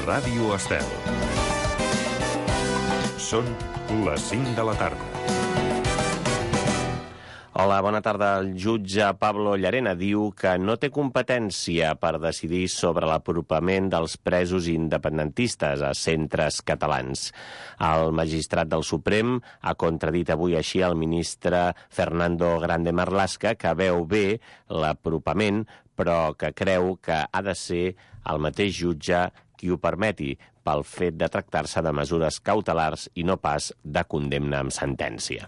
Ràdio Estel. Són les 5 de la tarda. Hola, bona tarda. El jutge Pablo Llarena diu que no té competència per decidir sobre l'apropament dels presos independentistes a centres catalans. El magistrat del Suprem ha contradit avui així el ministre Fernando Grande Marlaska, que veu bé l'apropament, però que creu que ha de ser el mateix jutge qui ho permeti, pel fet de tractar-se de mesures cautelars i no pas de condemna amb sentència.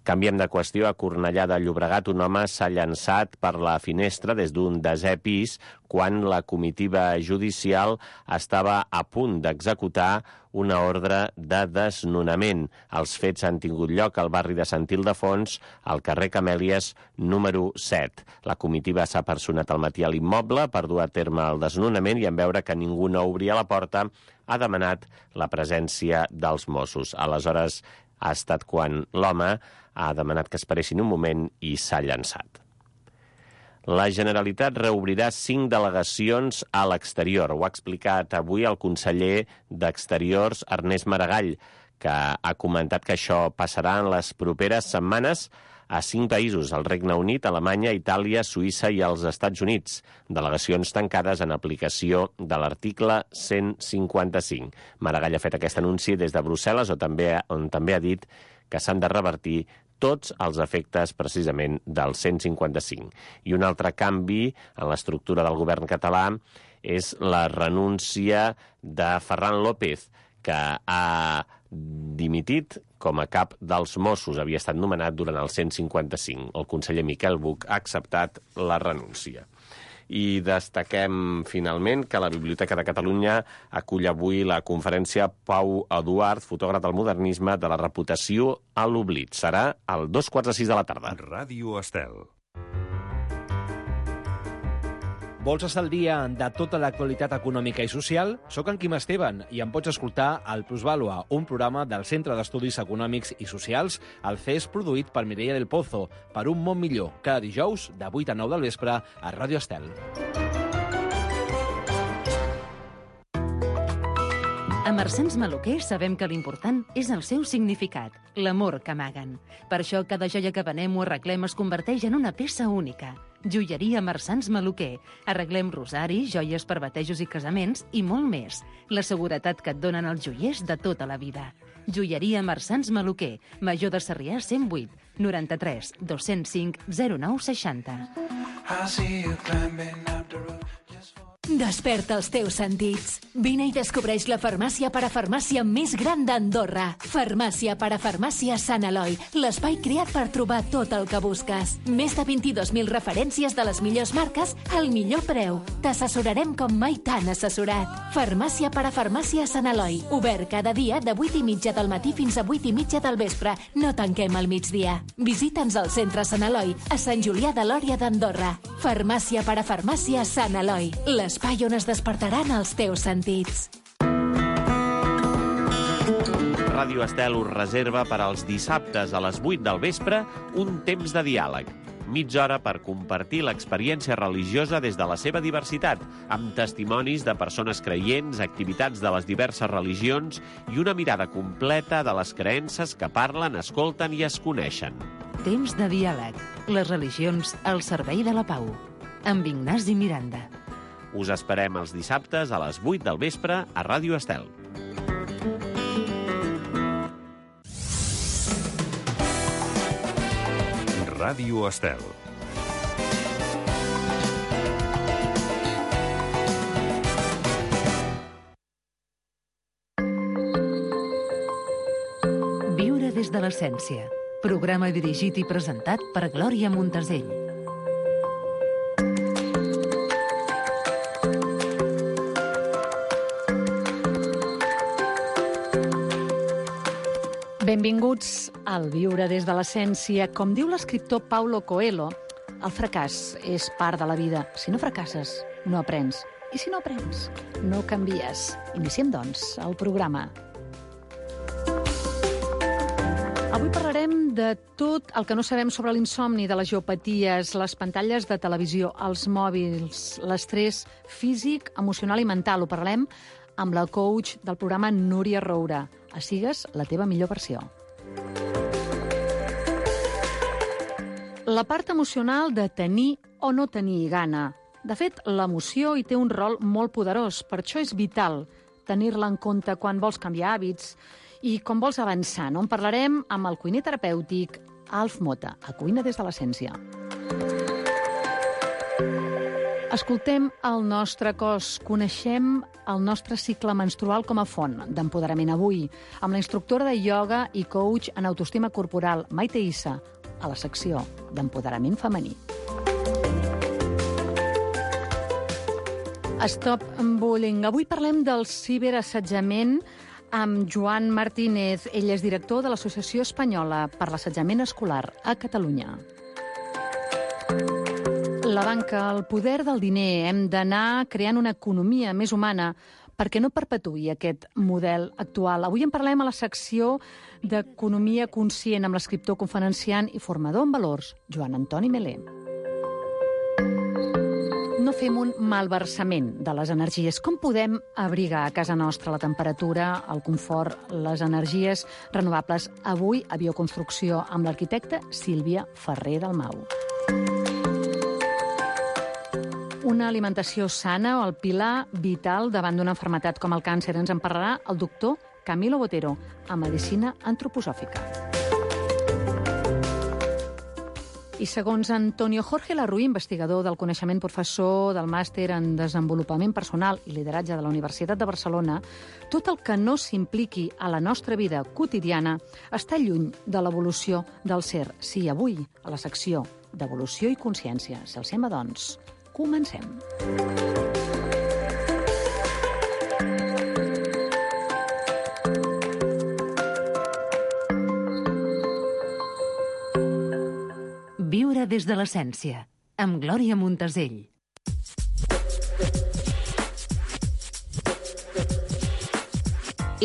Canviem de qüestió. A Cornellà de Llobregat, un home s'ha llançat per la finestra des d'un 10è pis quan la comitiva judicial estava a punt d'executar una ordre de desnonament. Els fets han tingut lloc al barri de Sant Ildefons, al carrer Camèlies, número 7. La comitiva s'ha personat al matí a l'immoble per dur a terme el desnonament i en veure que ningú no obria la porta, ha demanat la presència dels Mossos. Aleshores ha estat quan l'home ha demanat que esperessin un moment i s'ha llançat. La Generalitat reobrirà 5 delegacions a l'exterior. Ho ha explicat avui el conseller d'Exteriors, Ernest Maragall, que ha comentat que això passarà en les properes setmanes a 5 països: el Regne Unit, Alemanya, Itàlia, Suïssa i els Estats Units. Delegacions tancades en aplicació de l'article 155. Maragall ha fet aquest anunci des de Brussel·les, on també ha dit que s'han de revertir tots els efectes precisament del 155. I un altre canvi en l'estructura del govern català és la renúncia de Ferran López, que ha dimitit com a cap dels Mossos. Havia estat nomenat durant el 155. El conseller Miquel Buch ha acceptat la renúncia. I destaquem finalment que la Biblioteca de Catalunya acull avui la conferència Pau Eduard, fotògraf del modernisme, de la reputació a l'oblit. Serà a 5:45 de la tarda. Ràdio Estel. Vols estar al dia de tota l'actualitat econòmica i social? Soc en Quim Esteban i em pots escoltar al Plusvàlua, un programa del Centre d'Estudis Econòmics i Socials, el CES, produït per Mireia del Pozo, per un món millor, cada dijous de 8 a 9 del vespre a Ràdio Estel. A Marsans Maluquer sabem que l'important és el seu significat, l'amor que amaguen. Per això cada joia que venem o arreglem es converteix en una peça única. Joieria Marsans Maluquer. Arreglem rosaris, joies per batejos i casaments i molt més. La seguretat que et donen els joiers de tota la vida. Joieria Marsans Maluquer. Major de Sarrià 108 93 205 09 60. Desperta els teus sentits. Vine i descobreix la farmàcia parafarmàcia més gran d'Andorra. Farmàcia parafarmàcia Sant Eloi, l'espai creat per trobar tot el que busques. Més de 22.000 referències de les millors marques al millor preu. T'assessorarem com mai t'han assessorat. Farmàcia parafarmàcia Sant Eloi, obert cada dia de 8:30 del matí fins a 8:30 del vespre. No tanquem al migdia. Visita'ns al centre Sant Eloi, a Sant Julià de Lòria d'Andorra. Farmàcia parafarmàcia Sant Eloi, l'espai on es despertaran els teus sentits. Ràdio Estel us reserva per als dissabtes a les 8 del vespre un temps de diàleg. Mitja hora per compartir l'experiència religiosa des de la seva diversitat, amb testimonis de persones creients, activitats de les diverses religions i una mirada completa de les creences que parlen, escolten i es coneixen. Temps de diàleg. Les religions al servei de la pau. Amb Ignasi Miranda. Us esperem els dissabtes a les 8 del vespre a Ràdio Estel. Ràdio Estel. Viure des de l'essència. Programa dirigit i presentat per Glòria Montesell. Benvinguts al Viure des de l'essència. Com diu l'escriptor Paulo Coelho, el fracàs és part de la vida. Si no fracasses, no aprens. I si no aprens, no canvies. Iniciem, doncs, el programa. Avui parlarem de tot el que no sabem sobre l'insomni, de les geopaties, les pantalles de televisió, els mòbils, l'estrès físic, emocional i mental. Ho parlem amb la coach del programa Núria Roura. A Sigues la teva millor versió. La part emocional de tenir o no tenir gana. De fet, l'emoció hi té un rol molt poderós. Per això és vital tenir-la en compte quan vols canviar hàbits i com vols avançar, no? En parlarem amb el cuiner terapèutic Alf Mota, a Cuina des de l'Essència. Escoltem el nostre cos, coneixem el nostre cicle menstrual com a font d'empoderament avui, amb la instructora de ioga i coach en autoestima corporal, Maite Issa, a la secció d'empoderament femení. Stop Bullying. Avui parlem del ciberassetjament amb Joan Martínez. Ell és director de l'Associació Espanyola per l'Assetjament Escolar a Catalunya. La banca, el poder del diner. Hem d'anar creant una economia més humana perquè no perpetuï aquest model actual. Avui en parlem a la secció d'Economia Conscient amb l'escriptor, conferenciant i formador en valors, Joan Antoni Melé. No fem un malversament de les energies. Com podem abrigar a casa nostra la temperatura, el confort, les energies renovables? Avui a Bioconstrucció amb l'arquitecta Sílvia Ferrer Dalmau. Una alimentació sana o el pilar vital davant d'una malaltia com el càncer. Ens en parlarà el doctor Camilo Botero, a Medicina Antroposòfica. I segons Antonio Jorge Larruy, investigador del coneixement, professor del màster en desenvolupament personal i lideratge de la Universitat de Barcelona, tot el que no s'impliqui a la nostra vida quotidiana està lluny de l'evolució del ser. Sí, avui, a la secció d'Evolució i Consciència. Si els sembla, doncs, comencem. Viure des de l'essència, amb Glòria Montesell.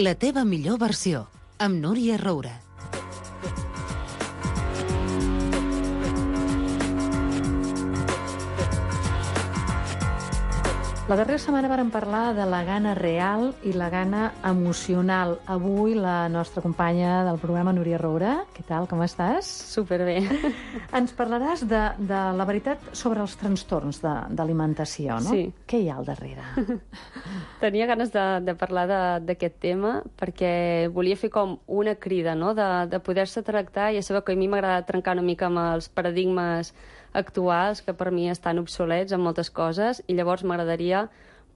La teva millor versió, amb Núria Roura. La darrera setmana vàrem parlar de la gana real i la gana emocional. Avui la nostra companya del programa, Núria Roura. Què tal, com estàs? Superbé. Ens parlaràs de la veritat sobre els trastorns d'alimentació, no? Sí. Què hi ha al darrere? Tenia ganes de parlar d'aquest tema perquè volia fer com una crida, no? De poder-se tractar. Ja sabeu que a mi m'agrada trencar una mica amb els paradigmes actuals, que per mi estan obsolets en moltes coses, i llavors m'agradaria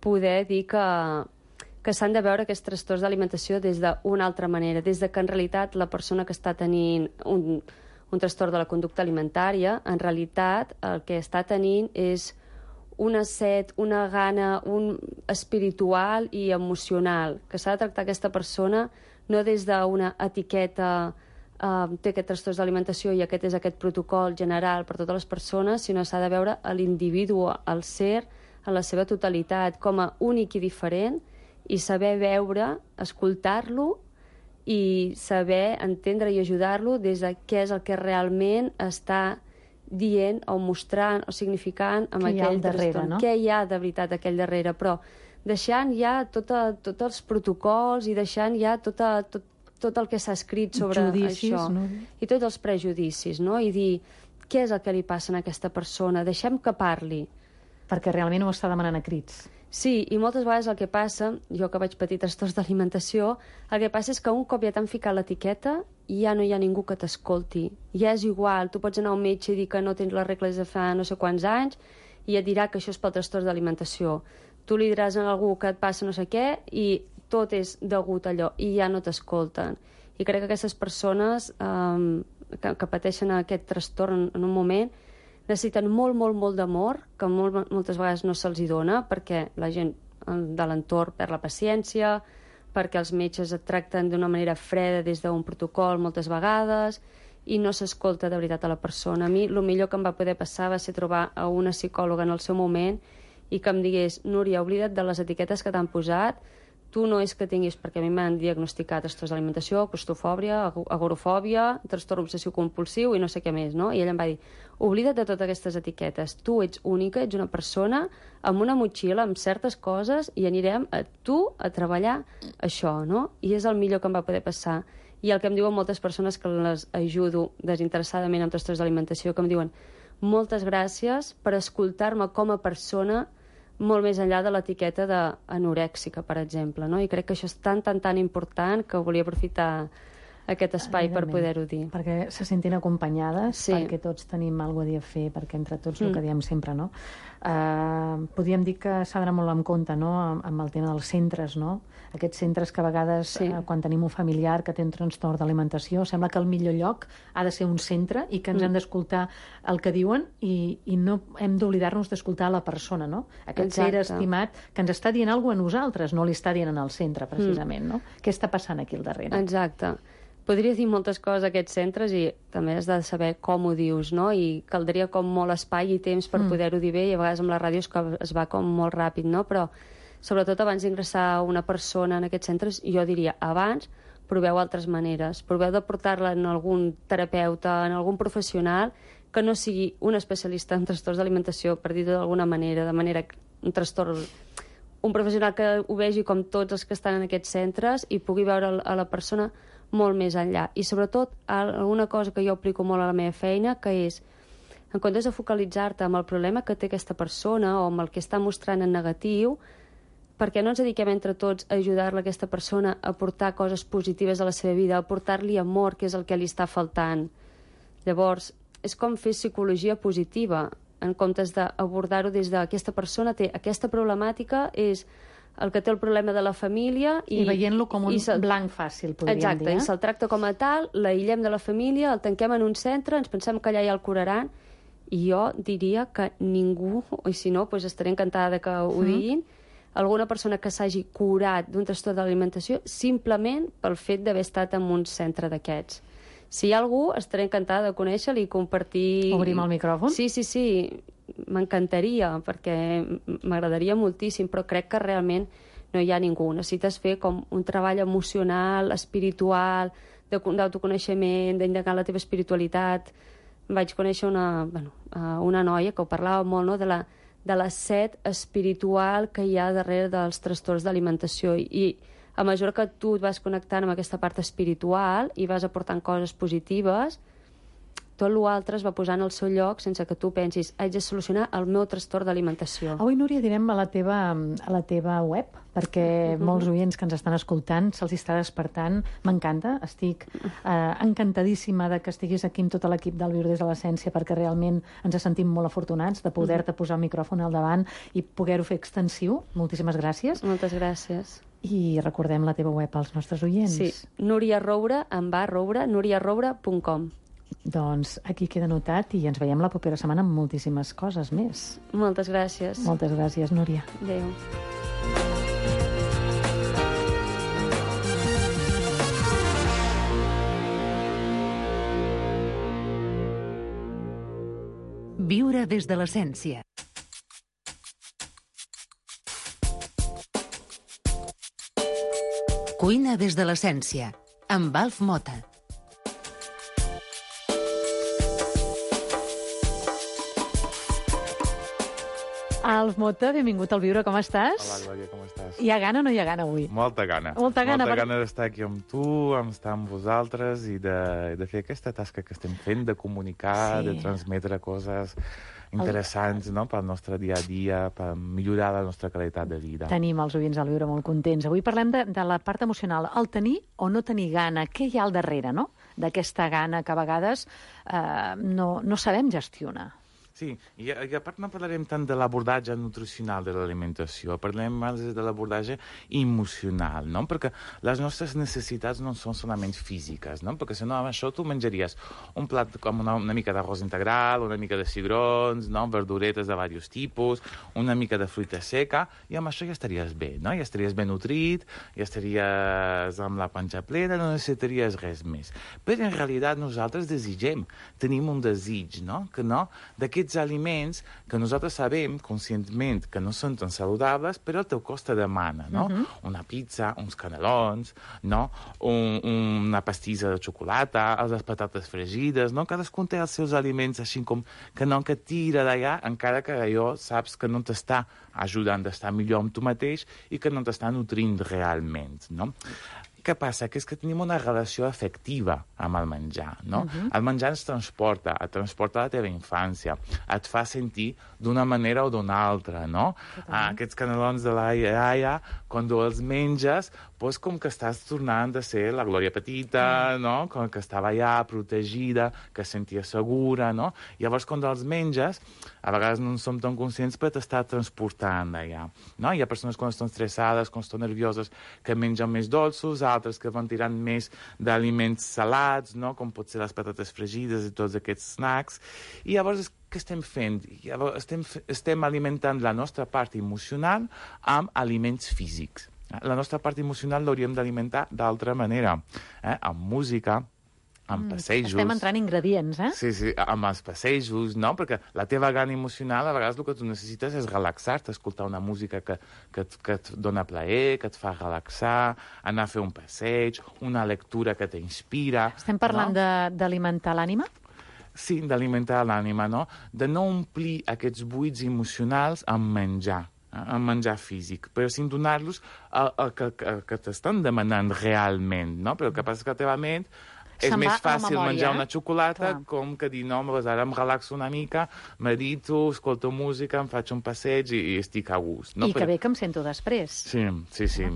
poder dir que s'han de veure aquests trastorns d'alimentació des d'una altra manera, des de que en realitat la persona que està tenint un trastorn de la conducta alimentària, en realitat el que està tenint és una set, una gana, un espiritual i emocional, que s'ha de tractar aquesta persona no des d'una etiqueta té aquest trastorn d'alimentació i aquest és aquest protocol general per totes les persones, sinó s'ha de veure l'individu, el ser, en la seva totalitat, com a únic i diferent, i saber veure, escoltar-lo i saber entendre i ajudar-lo des de què és el que realment està dient o mostrant o significant amb aquell trastorn. Què hi ha de veritat aquell darrere, però deixant ja tots els protocols i deixant ja tot el que s'ha escrit sobre això, no? I tots els prejudicis, no? I dir què és el que li passa a aquesta persona, deixem que parli. Perquè realment ho està demanant a crits. Sí, i moltes vegades el que passa, jo que vaig patir trastorns d'alimentació, el que passa és que un cop ja t'han ficat l'etiqueta, ja no hi ha ningú que t'escolti. Ja és igual, tu pots anar a un metge i dir que no tens les regles de fa no sé quants anys i et dirà que això és pel trastorn d'alimentació. Tu li diràs a algú que et passa no sé què i tot és degut a allò, i ja no t'escolten. I crec que aquestes persones que pateixen aquest trastorn en un moment necessiten molt, molt, molt d'amor, que moltes vegades no se'ls hi dona, perquè la gent de l'entorn perd la paciència, perquè els metges et tracten d'una manera freda des d'un protocol moltes vegades, i no s'escolta de veritat a la persona. A mi el millor que em va poder passar va ser trobar a una psicòloga en el seu moment i que em digués: Núria, oblida't de les etiquetes que t'han posat, tu no és que tinguis, perquè a mi m'han diagnosticat trastorns d'alimentació, claustrofòbia, agorafòbia, trastorn obsessiu-compulsiu i no sé què més, no? I ella em va dir, oblida't de totes aquestes etiquetes, tu ets única, ets una persona amb una motxilla, amb certes coses, i anirem a tu a treballar això, no? I és el millor que em va poder passar. I el que em diuen moltes persones que les ajudo desinteressadament amb trastorns d'alimentació, que em diuen, moltes gràcies per escoltar-me com a persona molt més enllà de l'etiqueta d'anorèxica, per exemple, no? I crec que això és tan important que volia aprofitar aquest espai per poder-ho dir. Perquè se sentin acompanyades, Sí. perquè tots tenim alguna cosa a dir a fer, perquè entre tots el que diem sempre, no? Podríem dir que s'ha d'anar molt en compte, no?, amb el tema dels centres, no? Aquests centres que a vegades, quan tenim un familiar que té un trastorn d'alimentació, sembla que el millor lloc ha de ser un centre i que ens hem d'escoltar el que diuen i no hem d'oblidar-nos d'escoltar la persona, no? Aquest ser estimat que ens està dient alguna cosa a nosaltres, no li està dient al centre, precisament, no? Què està passant aquí al darrere? Exacte. Podria dir moltes coses a aquests centres i també has de saber com ho dius, no? I caldria com molt espai i temps per poder-ho dir bé, i a vegades amb la ràdio es va com molt ràpid, no? Però sobretot abans d'ingressar una persona en aquests centres, jo diria, abans proveu altres maneres, proveu de portar-la en algun terapeuta, en algun professional que no sigui un especialista en trastorns d'alimentació, per dir-ho d'alguna manera, un trastorn, un professional que ho vegi com tots els que estan en aquests centres i pugui veure a la persona molt més enllà. I sobretot, alguna cosa que jo aplico molt a la meva feina, que és, en comptes de focalitzar-te amb el problema que té aquesta persona o amb el que està mostrant en negatiu, per què no ens dediquem entre tots a ajudar-la a aquesta persona a portar coses positives a la seva vida, a portar-li amor, que és el que li està faltant. Llavors, és com fer psicologia positiva, en comptes d'abordar-ho des d'aquesta persona té aquesta problemàtica, és el que té el problema de la família... I veient-lo com un blanc fàcil, podríem dir. Exacte, i se'l tracta com a tal, l'aïllem de la família, el tanquem en un centre, ens pensem que allà ja el curaran, i jo diria que ningú, i si no, doncs estaré encantada que ho diguin, alguna persona que s'hagi curat d'un trastorn d'alimentació simplement pel fet d'haver estat en un centre d'aquests. Si hi ha algú, estaré encantada de conèixer-lo i compartir... Obrim el micròfon? Sí, m'encantaria, perquè m'agradaria moltíssim, però crec que realment no hi ha ningú. Necessites fer com un treball emocional, espiritual, d'autoconeixement, d'indagar la teva espiritualitat. Vaig conèixer una noia que ho parlava molt, no?, de la set espiritual que hi ha darrere dels trastorns d'alimentació. I a mesura que tu et vas connectant amb aquesta part espiritual i vas aportant coses positives, tot l'altre es va posar en el seu lloc sense que tu pensis, haig de solucionar el meu trastorn d'alimentació. Avui, Núria, direm a la teva web, perquè molts oients que ens estan escoltant se'ls està despertant. M'encanta, estic encantadíssima de que estiguis aquí amb tot l'equip del Viure des de l'Essència, perquè realment ens sentim molt afortunats de poder-te posar el micròfon al davant i poder-ho fer extensiu. Moltíssimes gràcies. Moltes gràcies. I recordem la teva web als nostres oients. Sí, Núria Roure, nuriaroure.com. Doncs aquí queda notat i ens veiem la propera setmana amb moltíssimes coses més. Moltes gràcies. Moltes gràcies, Núria. Adéu. Viure des de l'essència. Cuina des de l'essència, amb Alf Mota. Alf Mota, benvingut al Viure, com estàs? Hola, Glòria, com estàs? Hi ha gana o no hi ha gana avui? Molta gana. Molta gana d'estar aquí amb tu, estar amb vosaltres i de fer aquesta tasca que estem fent, de comunicar, de transmetre coses interessants, no?, pel nostre dia a dia, per millorar la nostra qualitat de vida. Tenim els oients al Viure molt contents. Avui parlem de la part emocional, el tenir o no tenir gana. Què hi ha al darrere, no?, d'aquesta gana que a vegades no sabem gestionar. Sí, i a part no parlarem tant de l'abordatge nutricional de l'alimentació, parlem més de l'abordatge emocional, no? Perquè les nostres necessitats no són solament físiques, no? Perquè si no, amb això tu menjaries un plat com una mica d'arròs integral, una mica de cigrons, no?, verduretes de diversos tipus, una mica de fruita seca, i amb això ja estaries bé, no? Ja estaries ben nutrit, ja estaries amb la panxa plena, no necessitaries res més. Però en realitat nosaltres desitgem, tenim un desig, no?, que no, d'aquest aquests aliments que nosaltres sabem conscientment que no són tan saludables, però el teu cos te demana, no? Una pizza, uns canelons, no? Una pastissa de xocolata, les patates fregides, no? Cadascun té els seus aliments així com que no que tira d'allà, encara que allò saps que no t'està ajudant a estar millor amb tu mateix i que no t'està nutrint realment, no? Què passa? Que és que tenim una relació afectiva amb el menjar, no? El menjar ens transporta, et transporta a la teva infància, et fa sentir d'una manera o d'una altra, no? Aquests canelons de la iaia, quan els menges, doncs com que estàs tornant a ser la Glòria petita, no? Com que estava allà protegida, que es sentia segura, no? Llavors, quan els menges, a vegades no en som tan conscients, però t'està transportant allà, no? Hi ha persones quan estan estressades, quan estan nervioses, que mengen més dolços, altres que van tirant més d'aliments salats, no? Com pot ser les patates fregides i tots aquests snacks. I llavors, què estem fent? Llavors, estem alimentant la nostra part emocional amb aliments físics. La nostra part emocional l'hauríem d'alimentar d'altra manera, amb música, amb passejos. Estem entrant ingredients, eh? Sí, amb els passejos, no? Perquè la teva gana emocional, a vegades el que tu necessites és relaxar-te, escoltar una música que et dona plaer, que et fa relaxar, anar a fer un passeig, una lectura que t'inspira. Estem parlant d'alimentar l'ànima? Sí, d'alimentar l'ànima, no? De no omplir aquests buits emocionals amb menjar físic, però sin donar-los el que t'estan demanant realment, no? Però el que passa és que la teva ment és més fàcil menjar una xocolata com que dir, no, ara em relaxo una mica, medito, escolto música, em faig un passeig i estic a gust. I que bé que em sento després. Sí.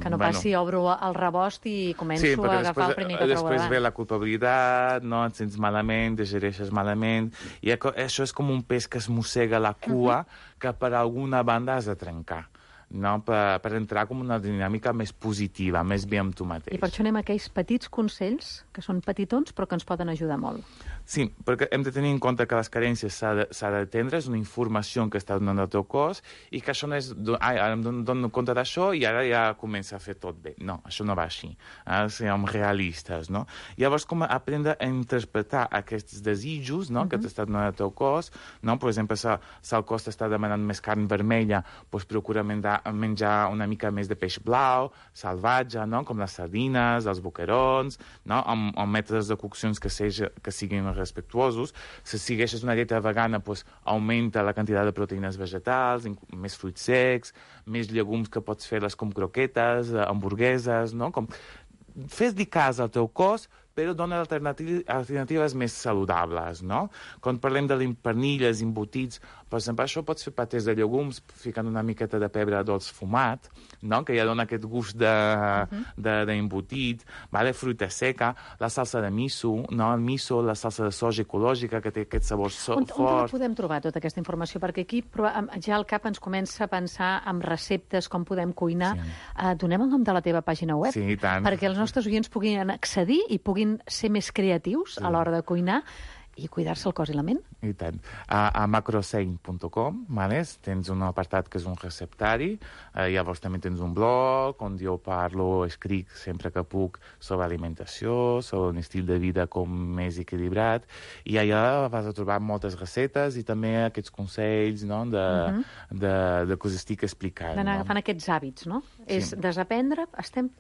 Que no passi, obro el rebost i començo a agafar el primer que trobo davant. Després ve la culpabilitat, no? Et sents malament, digereixes malament, i això és com un pes que es mossega la cua que per alguna banda has de trencar. No? Per entrar com una dinàmica més positiva, més bé amb tu mateix. I per això anem a aquells petits consells, que són petitons, però que ens poden ajudar molt. Sí, perquè hem de tenir en compte que les carències s'ha d'atendre, és una informació que està donant el teu cos, i que això no és, ara em dono compte d'això i ara ja comença a fer tot bé. No, això no va així. Siguem realistes, no? Llavors, com aprendre a interpretar aquests desitjos, no? Que t'està donant el teu cos, no? Per exemple, si el cos t'està demanant més carn vermella, doncs procura menjar una mica més de peix blau, salvatge, no? Com les sardines, els boquerons, no? Amb mètodes de coccions que siguin respectuosos. Si segueixes una dieta vegana, doncs augmenta la quantitat de proteïnes vegetals, més fruits secs, més llegums que pots fer-les com croquetes, hamburgueses, no? Fes-li cas al teu cos, però dona alternatives més saludables, no? Quan parlem de pernilles, embotits, per exemple, això pots fer patés de llegums ficant una miqueta de pebre dolç fumat, no? Que ja dona aquest gust d'embotit, fruita seca, la salsa de miso, no? El miso, la salsa de soja ecològica, que té aquest sabor fort. On podem trobar tota aquesta informació? Perquè aquí ja al cap ens comença a pensar en receptes, com podem cuinar. Donem el nom de la teva pàgina web? Sí, i tant. Perquè els nostres oients puguin accedir i puguin ser més creatius a l'hora de cuinar i cuidar-se el cos i la ment. I tant. A macrosein.com tens un apartat que és un receptari, llavors també tens un blog on jo escric sempre que puc sobre alimentació, sobre un estil de vida com més equilibrat, i allà vas a trobar moltes receptes i també aquests consells, no? de que us estic explicant. D'anar agafant aquests hàbits, no? Sí. És desaprendre, estem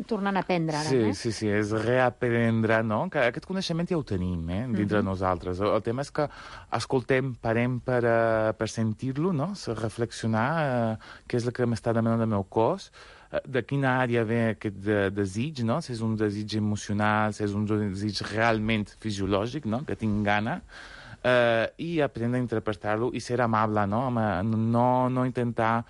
tornant a aprendre ara. Sí, és reaprendre, no? Que aquest coneixement ja ho tenim, dintre nosaltres. El tema és que escoltem, parem per sentir-lo, no? Reflexionar què és el que m'està demanant el meu cos, de quina àrea ve aquest desig, no? Si és un desig emocional, si és un desig realment fisiològic, no? Que tinc gana, i aprendre a interpretar-lo i ser amable, no? No intentar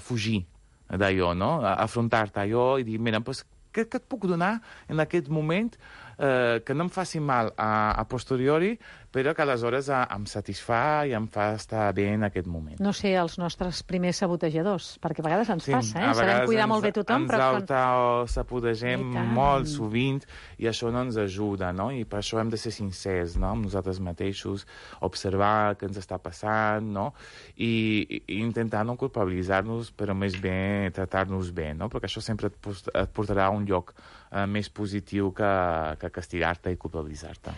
fugir d'allò, no? Afrontar-te allò i dir, mira, doncs, què et puc donar en aquest moment que no em faci mal a posteriori, però que aleshores em satisfà i em fa estar bé en aquest moment. No ser els nostres primers sabotejadors, perquè a vegades ens passa, sabem cuidar molt bé tothom, però... Ens autosabotagem molt sovint i això no ens ajuda, no? I per això hem de ser sincers, no? Amb nosaltres mateixos, observar què ens està passant, no? I intentar no culpabilitzar-nos, però més bé tratar-nos bé, no? Perquè això sempre et portarà a un lloc més positiu que castigar-te i culpabilitzar-te.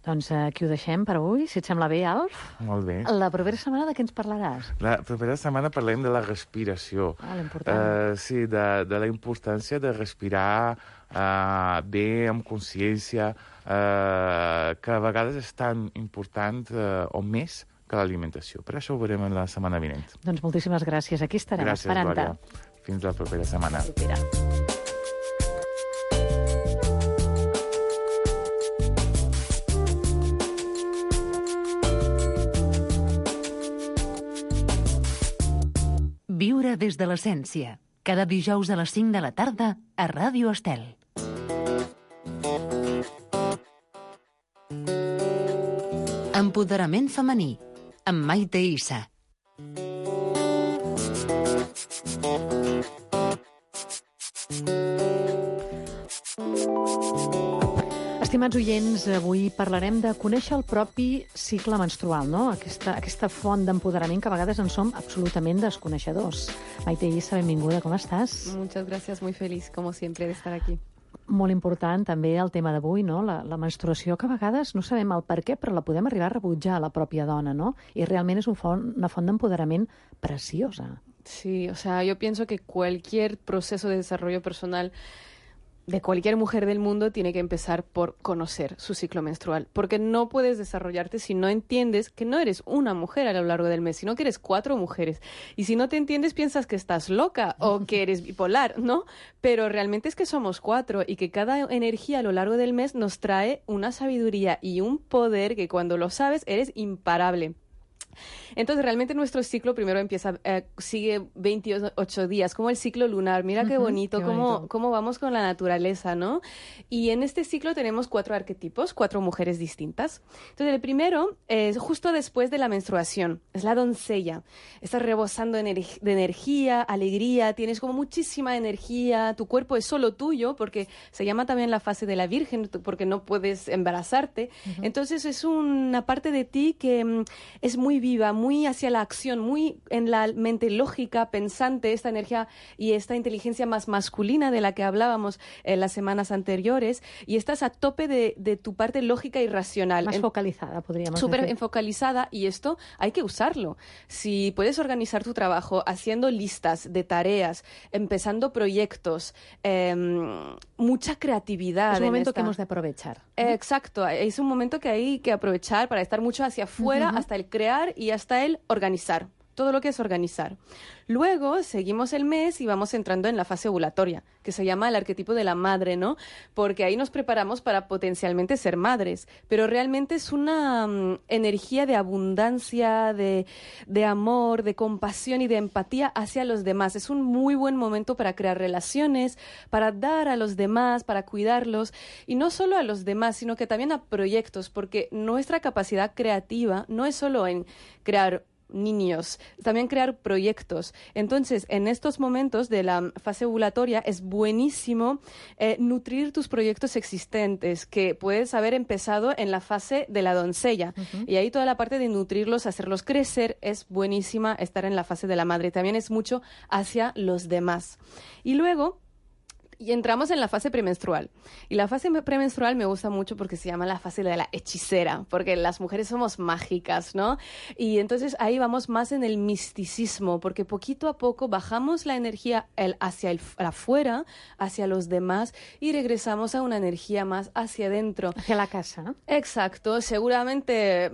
Doncs aquí ho deixem per avui, si et sembla bé, Alf. Molt bé. La propera setmana de què ens parlaràs? La propera setmana parlem de la respiració. L'important. Sí, de la importància de respirar bé, amb consciència, que a vegades és tan important o més que l'alimentació. Per això ho veurem la setmana vinent. Doncs moltíssimes gràcies. Aquí estarem, Gràcies, esperant-te. Glòria. Fins la propera setmana. Propera. Viure des de l'essència. Cada dijous a les 5 de la tarda a Ràdio Estel. Empoderament femení amb Maite Issa. Estimats oients, avui parlarem de conèixer el propi cicle menstrual, no? Aquesta font d'empoderament que a vegades en som absolutament desconeixedors. Maite Issa, benvinguda, com estàs? Muchas gracias, muy feliz, como siempre, de estar aquí. Molt important també el tema d'avui, no? La menstruació, que a vegades no sabem el per què, però la podem arribar a rebutjar a la pròpia dona, no? I realment és una font d'empoderament preciosa. Sí, o sea, yo pienso que cualquier proceso de desarrollo personal de cualquier mujer del mundo tiene que empezar por conocer su ciclo menstrual, porque no puedes desarrollarte si no entiendes que no eres una mujer a lo largo del mes, sino que eres 4 mujeres. Y si no te entiendes, piensas que estás loca o que eres bipolar, ¿no? Pero realmente es que somos 4 y que cada energía a lo largo del mes nos trae una sabiduría y un poder que cuando lo sabes eres imparable. Entonces, realmente nuestro ciclo primero sigue 28 días, como el ciclo lunar. Mira qué bonito, cómo vamos con la naturaleza, ¿no? Y en este ciclo tenemos 4 arquetipos, 4 mujeres distintas. Entonces, el primero es justo después de la menstruación, es la doncella. Estás rebosando de energía, alegría, tienes como muchísima energía, tu cuerpo es solo tuyo, porque se llama también la fase de la virgen, porque no puedes embarazarte. Entonces, es una parte de ti que es muy viva, muy hacia la acción, muy en la mente lógica, pensante, esta energía y esta inteligencia más masculina de la que hablábamos en las semanas anteriores, y estás a tope de tu parte lógica y racional. Más focalizada, podríamos decir. Súper focalizada, y esto hay que usarlo. Si puedes organizar tu trabajo haciendo listas de tareas, empezando proyectos, mucha creatividad. Es un momento que hemos de aprovechar. Exacto, es un momento que hay que aprovechar para estar mucho hacia afuera, hasta el crear y hasta el organizar. Todo lo que es organizar. Luego seguimos el mes y vamos entrando en la fase ovulatoria, que se llama el arquetipo de la madre, ¿no? Porque ahí nos preparamos para potencialmente ser madres, pero realmente es una energía de abundancia, de amor, de compasión y de empatía hacia los demás. Es un muy buen momento para crear relaciones, para dar a los demás, para cuidarlos, y no solo a los demás, sino que también a proyectos, porque nuestra capacidad creativa no es solo en crear niños, también crear proyectos. Entonces, en estos momentos de la fase ovulatoria es buenísimo nutrir tus proyectos existentes, que puedes haber empezado en la fase de la doncella. Y ahí toda la parte de nutrirlos, hacerlos crecer, es buenísima estar en la fase de la madre. También es mucho hacia los demás. Y luego y entramos en la fase premenstrual. Y la fase premenstrual me gusta mucho porque se llama la fase de la hechicera, porque las mujeres somos mágicas, ¿no? Y entonces ahí vamos más en el misticismo, porque poquito a poco bajamos la energía hacia afuera, hacia los demás, y regresamos a una energía más hacia adentro. Hacia la casa, ¿no? Exacto. Seguramente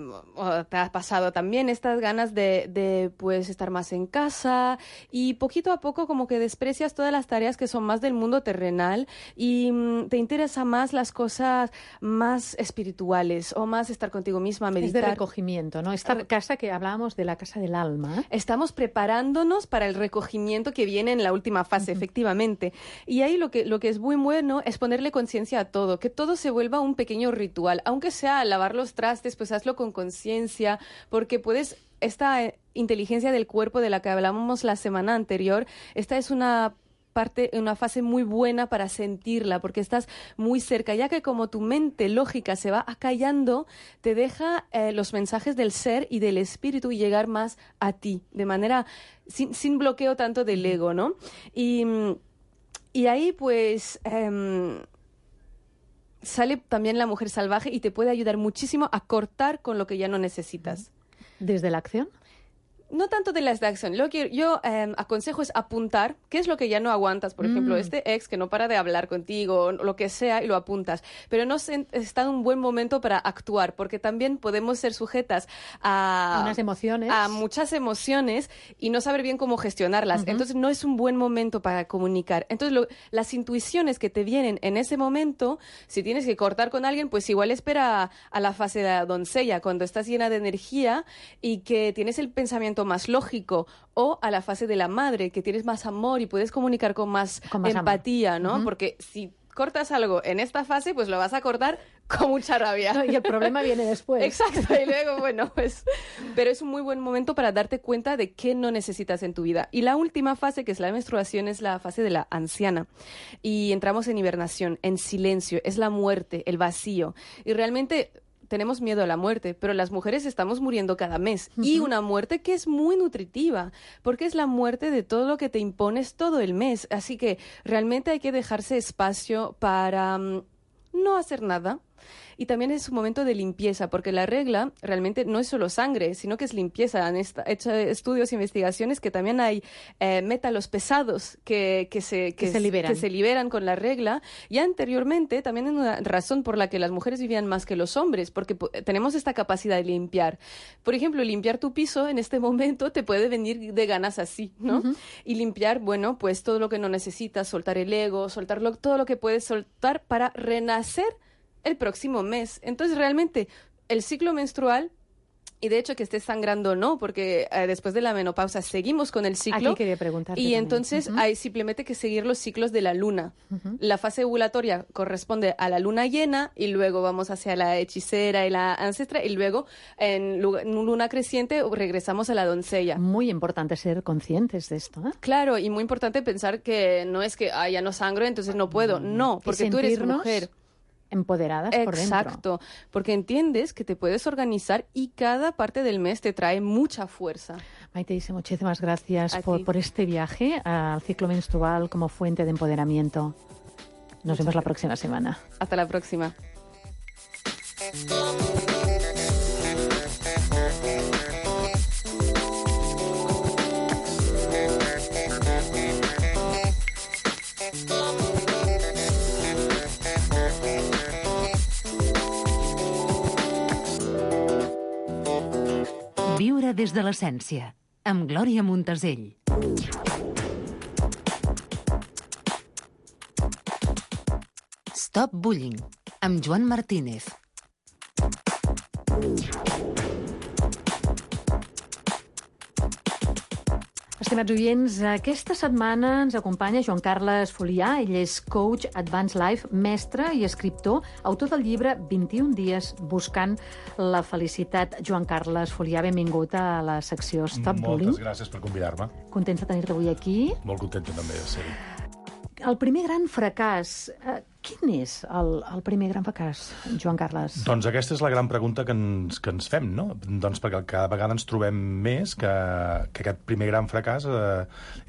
te ha pasado también estas ganas de pues estar más en casa, y poquito a poco como que desprecias todas las tareas que son más del mundo terrenal y te interesa más las cosas más espirituales o más estar contigo misma, meditar. Es de recogimiento, ¿no? Esta casa que hablábamos de la casa del alma. Estamos preparándonos para el recogimiento que viene en la última fase, efectivamente. Y ahí lo que es muy bueno es ponerle conciencia a todo, que todo se vuelva un pequeño ritual. Aunque sea lavar los trastes, pues hazlo con conciencia, porque puedes... Esta inteligencia del cuerpo de la que hablábamos la semana anterior, esta es una fase muy buena para sentirla, porque estás muy cerca, ya que como tu mente lógica se va acallando, te deja los mensajes del ser y del espíritu llegar más a ti, de manera sin bloqueo tanto del ego, ¿no? Y ahí pues... sale también la mujer salvaje y te puede ayudar muchísimo a cortar con lo que ya no necesitas. ¿Desde la acción? No tanto de las de acción. Lo que yo aconsejo es apuntar qué es lo que ya no aguantas. Por ejemplo, este ex que no para de hablar contigo, lo que sea, y lo apuntas. Pero no está en un buen momento para actuar, porque también podemos ser sujetas a unas emociones. A muchas emociones y no saber bien cómo gestionarlas. Entonces, no es un buen momento para comunicar. Entonces, las intuiciones que te vienen en ese momento, si tienes que cortar con alguien, pues igual espera a la fase de la doncella, cuando estás llena de energía y que tienes el pensamiento más lógico, o a la fase de la madre, que tienes más amor y puedes comunicar con más empatía, amor. ¿no? Porque si cortas algo en esta fase, pues lo vas a cortar con mucha rabia. No, y el problema viene después. Exacto, y luego, bueno, pues... Pero es un muy buen momento para darte cuenta de qué no necesitas en tu vida. Y la última fase, que es la menstruación, es la fase de la anciana. Y entramos en hibernación, en silencio, es la muerte, el vacío. Y realmente... tenemos miedo a la muerte, pero las mujeres estamos muriendo cada mes. Y una muerte que es muy nutritiva, porque es la muerte de todo lo que te impones todo el mes. Así que realmente hay que dejarse espacio para no hacer nada. Y también es un momento de limpieza, porque la regla realmente no es solo sangre, sino que es limpieza. Han hecho estudios e investigaciones que también hay métalos pesados que se liberan con la regla. Y anteriormente también es una razón por la que las mujeres vivían más que los hombres, porque tenemos esta capacidad de limpiar. Por ejemplo, limpiar tu piso en este momento te puede venir de ganas así, ¿no? Y limpiar, bueno, pues todo lo que no necesitas, soltar el ego, todo lo que puedes soltar para renacer el próximo mes. Entonces, realmente, el ciclo menstrual, y de hecho que estés sangrando o no, porque después de la menopausa seguimos con el ciclo. Aquí quería preguntarte y también. Entonces hay simplemente que seguir los ciclos de la luna. La fase ovulatoria corresponde a la luna llena, y luego vamos hacia la hechicera y la ancestra, y luego en luna creciente regresamos a la doncella. Muy importante ser conscientes de esto, ¿eh? Claro, y muy importante pensar que no es que ya no sangro, entonces no puedo. No, porque tú eres mujer. Empoderadas por dentro. Exacto, porque entiendes que te puedes organizar y cada parte del mes te trae mucha fuerza. Maite Isse, muchísimas gracias por este viaje al ciclo menstrual como fuente de empoderamiento. Nos vemos la próxima semana. Hasta la próxima. Viure des de l'essència, amb Glòria Montesell. Stop Bullying, amb Joan Martínez. Estimats oients, aquesta setmana ens acompanya Joan Carles Folià. Ell és coach Advanced Life, mestre i escriptor, autor del llibre 21 dies buscant la felicitat. Joan Carles Folià, benvingut a la secció Stop Bullying. Moltes gràcies per convidar-me. Contents de tenir-te avui aquí. Molt contenta també de ser-hi. El primer gran fracàs, quin és el primer gran fracàs, Joan Carles? Doncs aquesta és la gran pregunta que ens fem, no? Doncs perquè cada vegada ens trobem més que aquest primer gran fracàs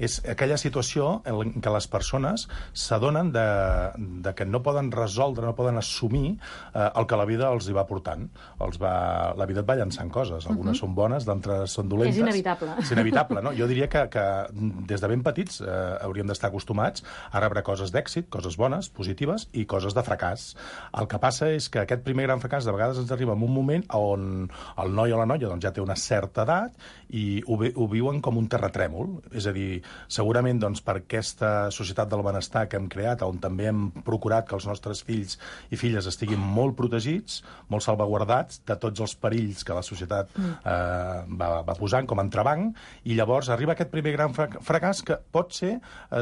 és aquella situació en què les persones s'adonen de que no poden resoldre, no poden assumir el que la vida els hi va portant. La vida et va llançant coses. Algunes són bones, d'altres són dolentes. És inevitable. És inevitable, no? Jo diria que des de ben petits hauríem d'estar acostumats a rebre coses d'èxit, coses bones, positives, i coses de fracàs. El que passa és que aquest primer gran fracàs de vegades ens arriba en un moment on el noi o la noia doncs, ja té una certa edat i ho viuen com un terratrèmol. És a dir, segurament doncs, per aquesta societat del benestar que hem creat, on també hem procurat que els nostres fills i filles estiguin molt protegits, molt salvaguardats de tots els perills que la societat va posant com a entrebanc, i llavors arriba aquest primer gran fracàs que pot ser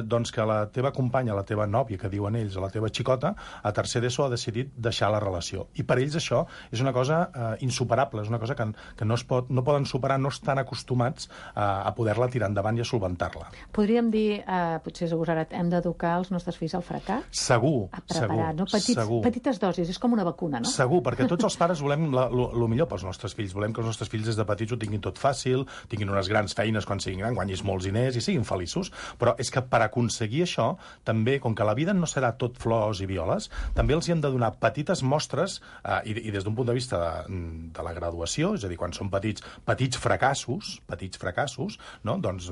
doncs, que la teva companya, la teva nòvia, que diuen ells, o la teva xicota, a tercer d'ESO ha decidit deixar la relació. I per ells això és una cosa insuperable, és una cosa que no poden superar, no estan acostumats a poder-la tirar endavant i a solventar-la. Podríem dir, potser és agosarat, hem d'educar els nostres fills al fracàs? Segur, a preparar, segur. No? Segur. Petites dosis, és com una vacuna, no? Segur, perquè tots els pares volem el millor pels nostres fills. Volem que els nostres fills des de petits ho tinguin tot fàcil, tinguin unes grans feines quan siguin grans, guanyis molts diners i siguin feliços. Però és que per aconseguir això, també, com que la vida no serà tot flors professors i violes, també els hi hem de donar petites mostres, i des d'un punt de vista de la graduació, és a dir, quan són petits fracassos, no? Doncs,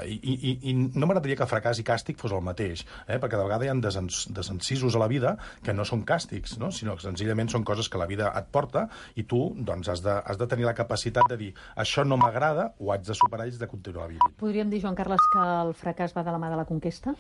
i no m'agradaria que fracàs i càstig fos el mateix, perquè de vegades hi ha desencisos a la vida que no són càstigs, no? Sinó que senzillament són coses que la vida et porta i tu doncs, has de tenir la capacitat de dir això no m'agrada, ho haig de superar i haig de continuar vivint. Podríem dir, Joan Carles, que el fracàs va de la mà de la conquesta?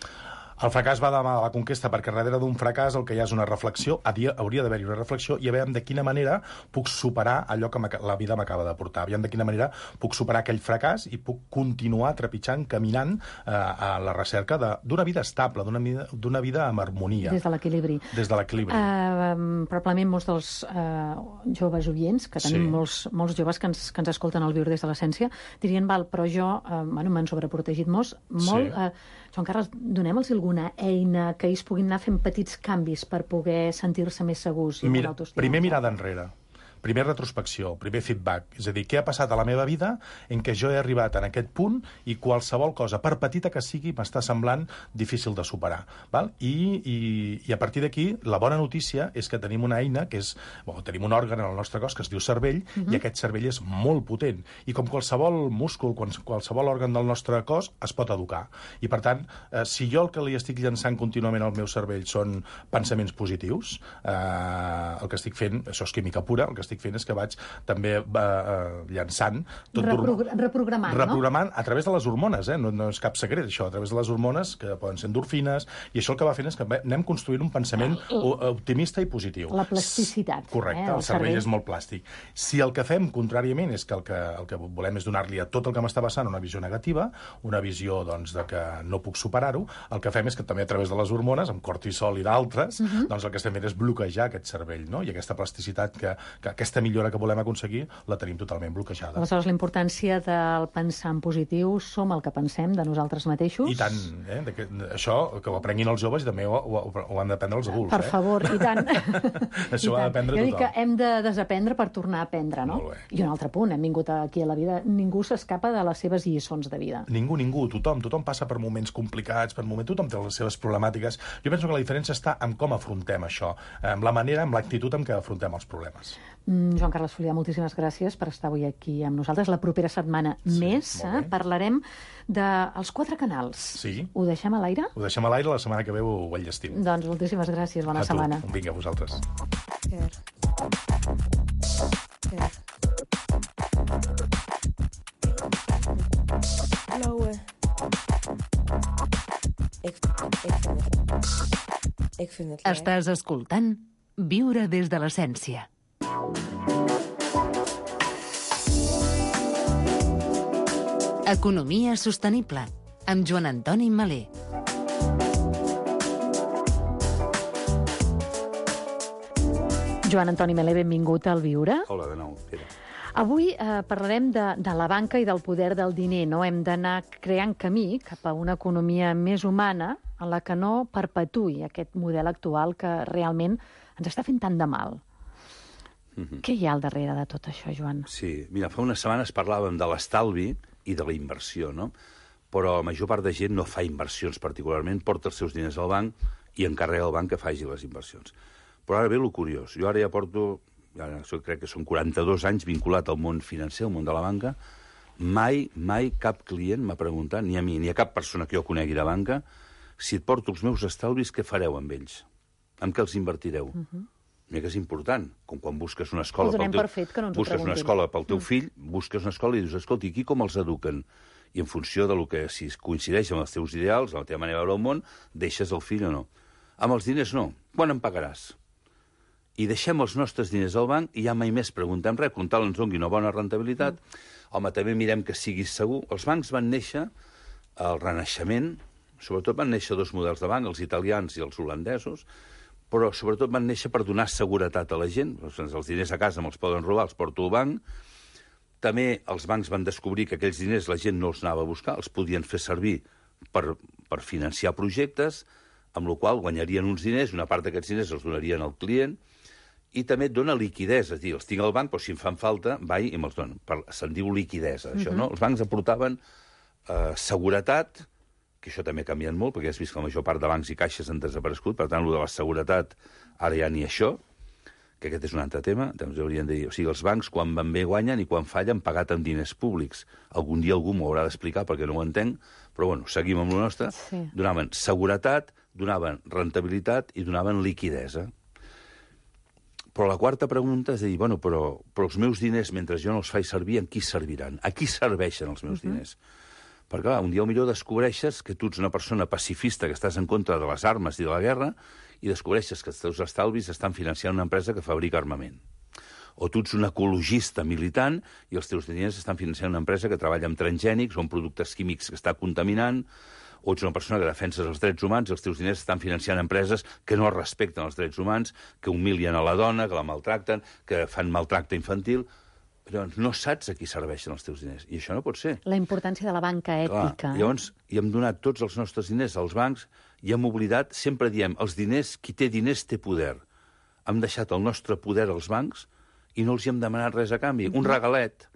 El fracàs va de la mà de la conquesta perquè darrere d'un fracàs el que hi ha és una reflexió, hauria d'haver-hi una reflexió i aviam de quina manera puc superar allò que la vida m'acaba de portar, aviam de quina manera puc superar aquell fracàs i puc continuar trepitjant, caminant a la recerca d'una vida estable, d'una vida amb harmonia. Des de l'equilibri. Des de l'equilibri. Probablement molts dels joves oients, que tenim molts joves que ens escolten al Viure des de l'Essència, dirien, val, però jo m'han sobreprotegit molt. Joan Carles, donem-los alguna eina que ells puguin anar fent petits canvis per poder sentir-se més segurs i amb autoestima? Primer mirada enrere. Primer retrospecció, primer feedback. És a dir, què ha passat a la meva vida en què jo he arribat en aquest punt i qualsevol cosa, per petita que sigui, m'està semblant difícil de superar. Val? I a partir d'aquí, la bona notícia és que tenim una eina, tenim un òrgan en el nostre cos que es diu cervell, i aquest cervell és molt potent. I com qualsevol múscul, qualsevol òrgan del nostre cos, es pot educar. I per tant, si jo el que li estic llançant contínuament al meu cervell són pensaments positius, el que estic fent, això és química pura, el que estic fent és que vaig també llançant... Reprogramant a través de les hormones, no és cap secret, això, a través de les hormones, que poden ser endorfines, i això el que va fent és que anem construint un pensament optimista i positiu. La plasticitat. Correcte, el cervell és molt plàstic. Si el que fem, contràriament, és que el que volem és donar-li a tot el que m'està passant una visió negativa, una visió doncs, de que no puc superar-ho, el que fem és que també a través de les hormones, amb cortisol i d'altres, doncs el que estem fent és bloquejar aquest cervell, no? I aquesta plasticitat aquesta millora que volem aconseguir la tenim totalment bloquejada. Aleshores, la importància del pensar en positiu, som el que pensem de nosaltres mateixos. I tant, això que ho aprenguin els joves i també ho han d'aprendre els adults. Per favor, i tant. Això ho ha d'aprendre tothom. Jo dic que hem de desaprendre per tornar a aprendre, no? I un altre punt, hem vingut aquí a la vida, ningú s'escapa de les seves lliçons de vida. Ningú, tothom passa per moments complicats, tothom té les seves problemàtiques. Jo penso que la diferència està en com afrontem això, amb la manera, amb l'actitud amb què afrontem els problemes. Joan Carles Folià, moltíssimes gràcies per estar avui aquí amb nosaltres. La propera setmana més parlarem dels 4 canals. Sí. Ho deixem a l'aire? Ho deixem a l'aire, la setmana que ve ho enllestim. Doncs moltíssimes gràcies, bona setmana. Vinga, a vosaltres. Estàs escoltant Viure des de l'Essència. Economia sostenible, amb Joan Antoni Malé. Joan Antoni Malé, benvingut al Viure. Hola, de nou, Pere. Avui parlarem de la banca i del poder del diner, no? Hem d'anar creant camí cap a una economia més humana en la que no perpetuï aquest model actual que realment ens està fent tant de mal. Què hi ha al darrere de tot això, Joan? Sí, mira, fa unes setmanes parlàvem de l'estalvi i de la inversió, no? Però la major part de gent no fa inversions particularment, porta els seus diners al banc i encarrega al banc que faci les inversions. Però ara ve el curiós. Jo ara ja porto, crec que són 42 anys vinculat al món financer, al món de la banca. Mai cap client m'ha preguntat, ni a mi, ni a cap persona que jo conegui de banca, si et porto els meus estalvis, què fareu amb ells? Amb què els invertireu? Mira que és important, com quan busques una escola pel teu fill, busques una escola i dius, escolta, aquí com els eduquen? I en funció de lo que, si coincideix amb els teus ideals, amb la teva manera de veure el món, deixes el fill o no. Amb els diners no. Quan em pagaràs? I deixem els nostres diners al banc i ja mai més preguntem res, com tal ens doni una bona rentabilitat. Home, també mirem que siguis segur. Els bancs van néixer al Renaixement, sobretot van néixer 2 models de banc, els italians i els holandesos, però sobretot van néixer per donar seguretat a la gent. Els diners a casa me'ls poden robar, els porto al banc. També els bancs van descobrir que aquells diners la gent no els anava a buscar, els podien fer servir per financiar projectes, amb la qual guanyarien uns diners, una part d'aquests diners els donarien al client, i també et dona liquidesa, és a dir, els tinc al banc, però si em fan falta, vaig i me'ls donen. Se'n diu liquidesa, això, no? Els bancs aportaven seguretat que això també ha canviat molt, perquè has vist que la major part de bancs i caixes han desaparegut, per tant, el de la seguretat, ara ja ni això, que aquest és un altre tema, doncs haurien de dir, o sigui, els bancs quan van bé guanyen i quan fallen pagat amb diners públics. Algun dia algú m'ho haurà d'explicar perquè no ho entenc, però bueno, seguim amb el nostre. Sí. Donaven seguretat, donaven rentabilitat i donaven liquidesa. Però la quarta pregunta és dir, bueno, però els meus diners, mentre jo no els faig servir, en qui serviran? A qui serveixen els meus diners? Perquè, clar, un dia millor descobreixes que tu ets una persona pacifista que estàs en contra de les armes i de la guerra i descobreixes que els teus estalvis estan financiant una empresa que fabrica armament. O tu ets un ecologista militant i els teus diners estan financiant una empresa que treballa amb transgènics o amb productes químics que està contaminant, o ets una persona que defenses els drets humans i els teus diners estan financiant empreses que no respecten els drets humans, que humilien a la dona, que la maltracten, que fan maltracte infantil. Llavors, no saps a qui serveixen els teus diners. I això no pot ser. La importància de la banca ètica. Clar, llavors, hi hem donat tots els nostres diners als bancs i hem oblidat, sempre diem, els diners, qui té diners té poder. Hem deixat el nostre poder als bancs i no els hi hem demanat res a canvi. Un regalet.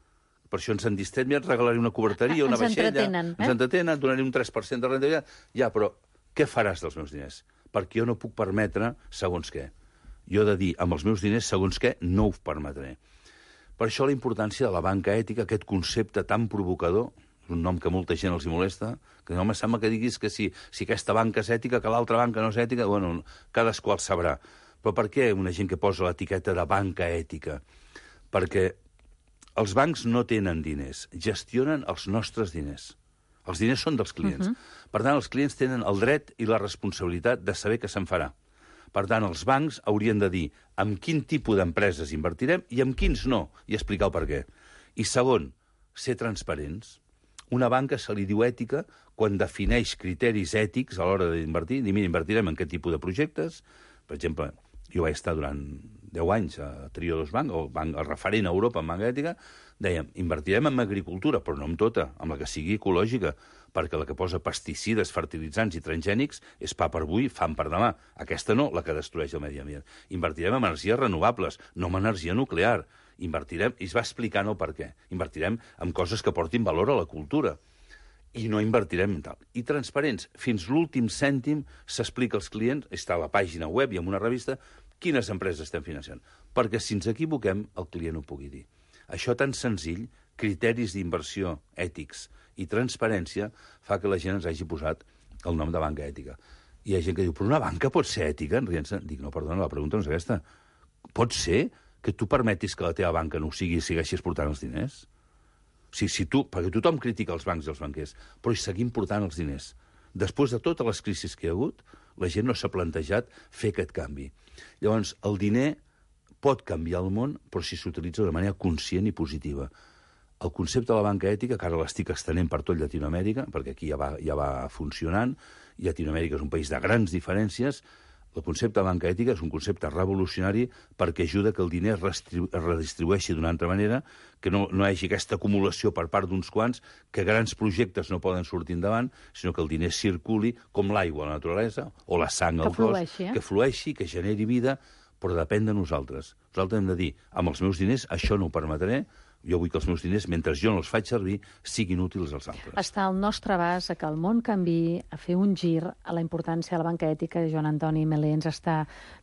Per això ens han dit, mira, et regalaré una coberteria, una vaixella. Ens entretenen, donaré un 3% de rentabilitat. Ja, però què faràs dels meus diners? Perquè jo no puc permetre segons què. Jo he de dir, amb els meus diners, segons què, no ho permetré. Per això la importància de la banca ètica, aquest concepte tan provocador, és un nom que molta gent els hi molesta, que no me sembla que diguis que si aquesta banca és ètica, que l'altra banca no és ètica, bueno, cadascú el sabrà. Però per què una gent que posa l'etiqueta de banca ètica? Perquè els bancs no tenen diners, gestionen els nostres diners. Els diners són dels clients. Per tant, els clients tenen el dret i la responsabilitat de saber què se'n farà. Per tant, els bancs haurien de dir amb quin tipus d'empreses invertirem i amb quins no, i explicar el per què. I segon, ser transparents. Una banca se li diu ètica quan defineix criteris ètics a l'hora d'invertir. Dir, mira, invertirem en aquest tipus de projectes. Per exemple, jo vaig estar durant 10 anys a Triodos Bank, el referent a Europa en banca ètica, dèiem, invertirem en agricultura, però no en tota, amb la que sigui ecològica, perquè la que posa pesticides, fertilitzants i transgènics és pa per avui, fam per demà. Aquesta no, la que destrueix el medi ambient. Invertirem en energies renovables, no en energia nuclear. Invertirem, i es va explicant el per què. Invertirem en coses que portin valor a la cultura. I no invertirem en tal. I transparents. Fins l'últim cèntim s'explica als clients, està a la pàgina web i en una revista, quines empreses estem financiant. Perquè si ens equivoquem, el client ho pugui dir. Això tan senzill, criteris d'inversió ètics i transparència, fa que la gent ens hagi posat el nom de banca ètica. I hi ha gent que diu, però una banca pot ser ètica? Dic, no, perdona, la pregunta no és aquesta. Pot ser que tu permetis que la teva banca no ho sigui i segueixis portant els diners? Perquè tothom critica els bancs i els banquers, però hi seguim portant els diners. Després de totes les crisis que hi ha hagut, la gent no s'ha plantejat fer aquest canvi. Llavors, el diner pot canviar el món, però si s'utilitza de manera conscient i positiva. El concepte de la banca ètica, que ara l'estic estenent per tot Llatinoamèrica, perquè aquí ja va funcionant, Llatinoamèrica és un país de grans diferències, el concepte de banca ètica és un concepte revolucionari perquè ajuda que el diner es redistribueixi d'una altra manera, que no hi hagi aquesta acumulació per part d'uns quants, que grans projectes no poden sortir endavant, sinó que el diner circuli com l'aigua a la naturalesa, o la sang al cos, que flueixi, que generi vida, però depèn de nosaltres. Nosaltres hem de dir, amb els meus diners això no ho permetré, jo vull que els meus diners, mentre jo no els faig servir, siguin útils als altres. Està al nostre abast a que el món canviï, a fer un gir a la importància de la banca ètica. Joan Antoni Melé ens està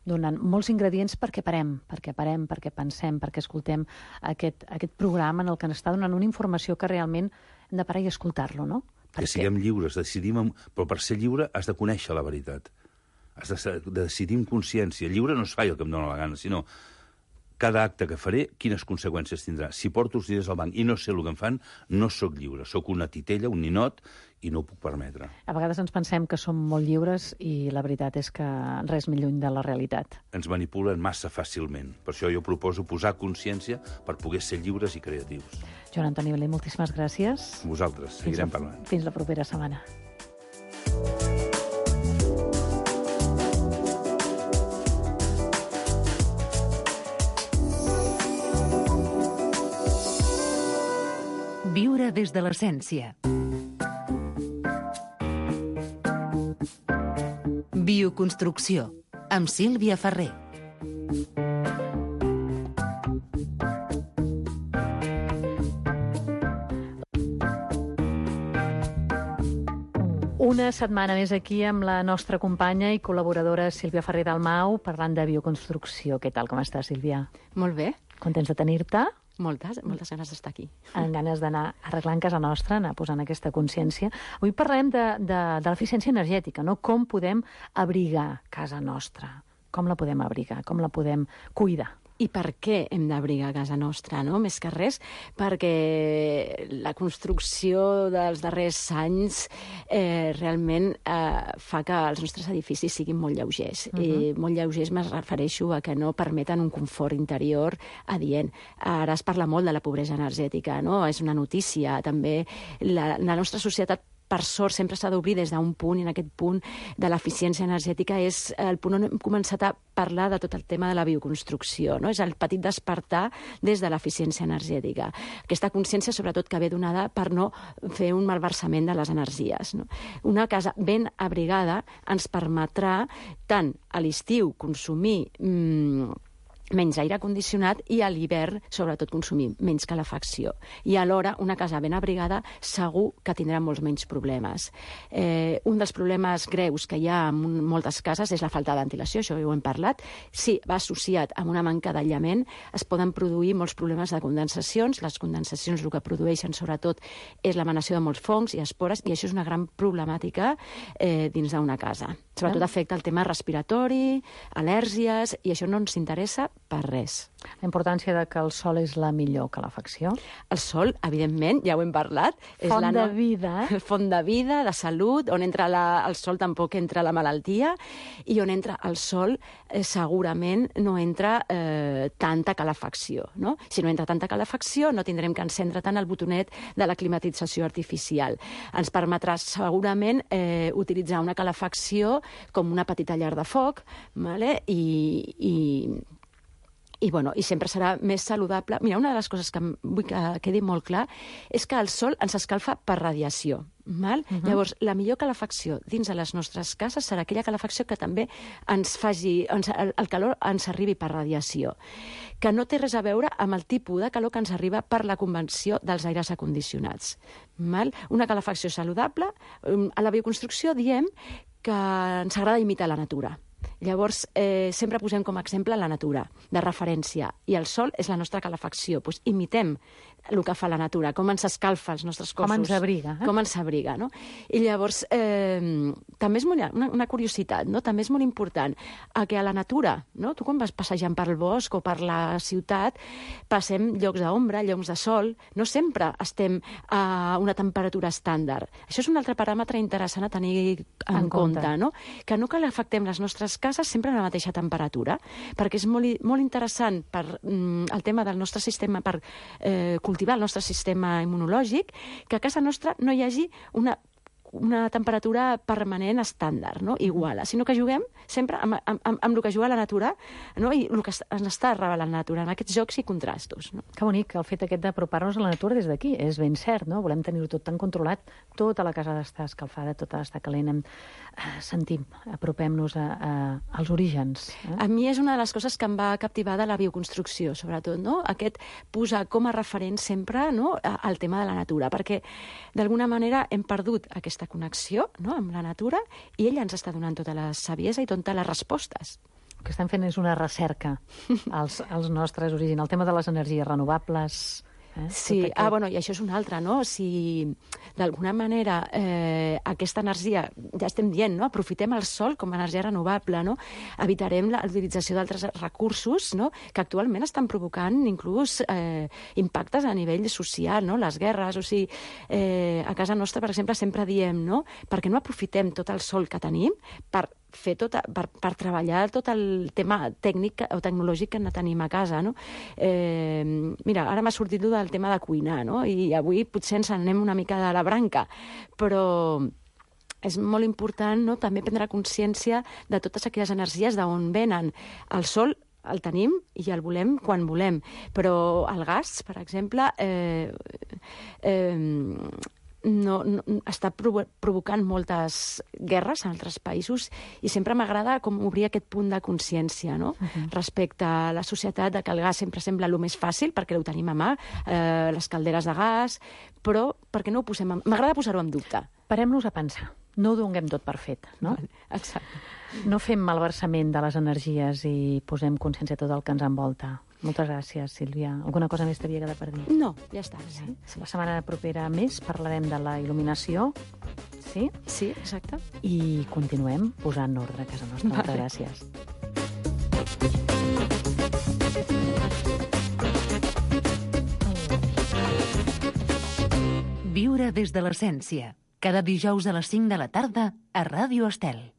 donant molts ingredients perquè parem, perquè pensem, perquè escoltem aquest programa en el que ens està donant una informació que realment hem de parar i escoltar-lo, no? Que siguem lliures, decidim, però per ser lliure has de conèixer la veritat. Has de decidir amb consciència. Lliure no es fa el que em dóna la gana, sinó cada acte que faré, quines conseqüències tindrà. Si porto els diners al banc i no sé el que em fan, no sóc lliure. Sóc una titella, un ninot, i no ho puc permetre. A vegades ens pensem que som molt lliures i la veritat és que res més lluny de la realitat. Ens manipulen massa fàcilment. Per això jo proposo posar consciència per poder ser lliures i creatius. Joan Antoni Melé, moltíssimes gràcies. Vosaltres, seguirem parlant. Fins la propera setmana. Viure des de l'essència. Bioconstrucció, amb Sílvia Ferrer. Una setmana més aquí amb la nostra companya i col·laboradora Sílvia Ferrer Dalmau parlant de bioconstrucció. Què tal, com estàs, Sílvia? Molt bé. Contents de tenir-te? Moltes ganes d'estar aquí. Amb ganes d'anar arreglant casa nostra, anar posant aquesta consciència. Avui parlem de l'eficiència energètica, no? Com podem abrigar casa nostra? Com la podem abrigar? Com la podem cuidar? I per què hem d'abrigar casa nostra, no? Més que res, perquè la construcció dels darrers anys realment fa que els nostres edificis siguin molt lleugers. Molt lleugers me'n refereixo a que no permeten un confort interior adient. Ara es parla molt de la pobresa energètica, no? És una notícia. També la nostra societat, per sort, sempre s'ha d'obrir des d'un punt, i en aquest punt de l'eficiència energètica és el punt on hem començat a parlar de tot el tema de la bioconstrucció, no? És el petit despertar des de l'eficiència energètica. Aquesta consciència, sobretot, que ve donada per no fer un malversament de les energies, no? Una casa ben abrigada ens permetrà tant a l'estiu consumir menys aire condicionat i a l'hivern, sobretot, consumir menys calefacció. I alhora, una casa ben abrigada segur que tindrà molts menys problemes. Un dels problemes greus que hi ha en moltes cases és la falta de ventilació, això ja ho hem parlat. Si va associat amb una manca d'aïllament, es poden produir molts problemes de condensacions. Les condensacions el que produeixen, sobretot, és l'emanació de molts fongs i espores, i això és una gran problemàtica dins d'una casa. Sobretot afecta el tema respiratori, al·lèrgies, i això no ens interessa per res. La importància de que el sol és la millor calefacció. El sol, evidentment, ja ho hem parlat. Font de vida. Font de vida, de salut, on entra el sol tampoc entra la malaltia, i on entra el sol segurament no entra tanta calefacció, no? Si no entra tanta calefacció no tindrem que encendre tant el botonet de la climatització artificial. Ens permetrà segurament utilitzar una calefacció com una petita llar de foc, vale? I sempre serà més saludable. Mira, una de les coses que vull que quedi molt clar és que el sol ens escalfa per radiació. Llavors, la millor calefacció dins de les nostres cases serà aquella calefacció que també ens faci... el calor ens arribi per radiació, que no té res a veure amb el tipus de calor que ens arriba per la convenció dels aires acondicionats. Una calefacció saludable. A la bioconstrucció diem que ens agrada imitar la natura. Llavors, sempre posem com a exemple la natura, de referència, i el sol és la nostra calefacció. Doncs imitem el que fa la natura, com ens escalfa els nostres cossos. Com ens abriga. Com ens abriga, no? I llavors, també és una curiositat, no? També és molt important que a la natura, no? Tu quan vas passejant per el bosc o per la ciutat, passem llocs d'ombra, llocs de sol, no sempre estem a una temperatura estàndard. Això és un altre paràmetre interessant a tenir en compte, no? Que no calefactem les nostres cases sempre a la mateixa temperatura, perquè és molt interessant per el tema del nostre sistema, per cultivar el nostre sistema immunològic, que a casa nostra no hi hagi una temperatura permanent estàndard, no? Igual, sinó que juguem sempre amb el que juga la natura, no? I el que ens està revelant la natura, amb aquests jocs i contrastos. No? Que bonic, el fet aquest d'apropar-nos a la natura des d'aquí. És ben cert, no? Volem tenir-ho tot tan controlat. Tota la casa ha d'estar escalfada, tota ha d'estar calent. Sentim, apropem-nos als orígens. A mi és una de les coses que em va captivar de la bioconstrucció, sobretot, no? Aquest posar com a referent sempre, no? El tema de la natura, perquè d'alguna manera hem perdut aquesta connexió, no? Amb la natura, i ella ens està donant tota la saviesa i totes les respostes. El que estan fent és una recerca als nostres orígens. El tema de les energies renovables... Sí, i això és un altre, no? Si d'alguna manera aquesta energia, ja estem dient, no? Aprofitem el sol com a energia renovable, no? Evitarem l'utilització d'altres recursos, no? Que actualment estan provocant inclús impactes a nivell social, no? Les guerres, o sigui, a casa nostra, per exemple, sempre diem, no? Perquè no aprofitem tot el sol que tenim per treballar tot el tema tècnic o tecnològic que tenim a casa, no? Mira, ara m'ha sortit del tema de cuinar, no? I avui potser ens anem una mica de la branca, però és molt important, no? També prendre consciència de totes aquelles energies d'on venen. El sol el tenim i el volem quan volem, però el gas, per exemple, està provocant moltes guerres en altres països, i sempre m'agrada com obrir aquest punt de consciència, no? Respecte a la societat, de que el gas sempre sembla el més fàcil perquè ho tenim a mà, les calderes de gas, però perquè no ho posem... M'agrada posar-ho en dubte. Parem-nos a pensar. No ho donem tot per fet, no? Exacte. No fem malversament de les energies i posem consciència a tot el que ens envolta. Moltes gràcies, Sílvia. Alguna cosa més t'havia quedat per dir? No, ja està. Sí. La setmana propera més parlarem de la il·luminació. Sí? Sí, exacte. I continuem posant ordre a casa nostra. Moltes gràcies. Viure des de l'essència. Cada dijous a les 5 de la tarda a Ràdio Estel.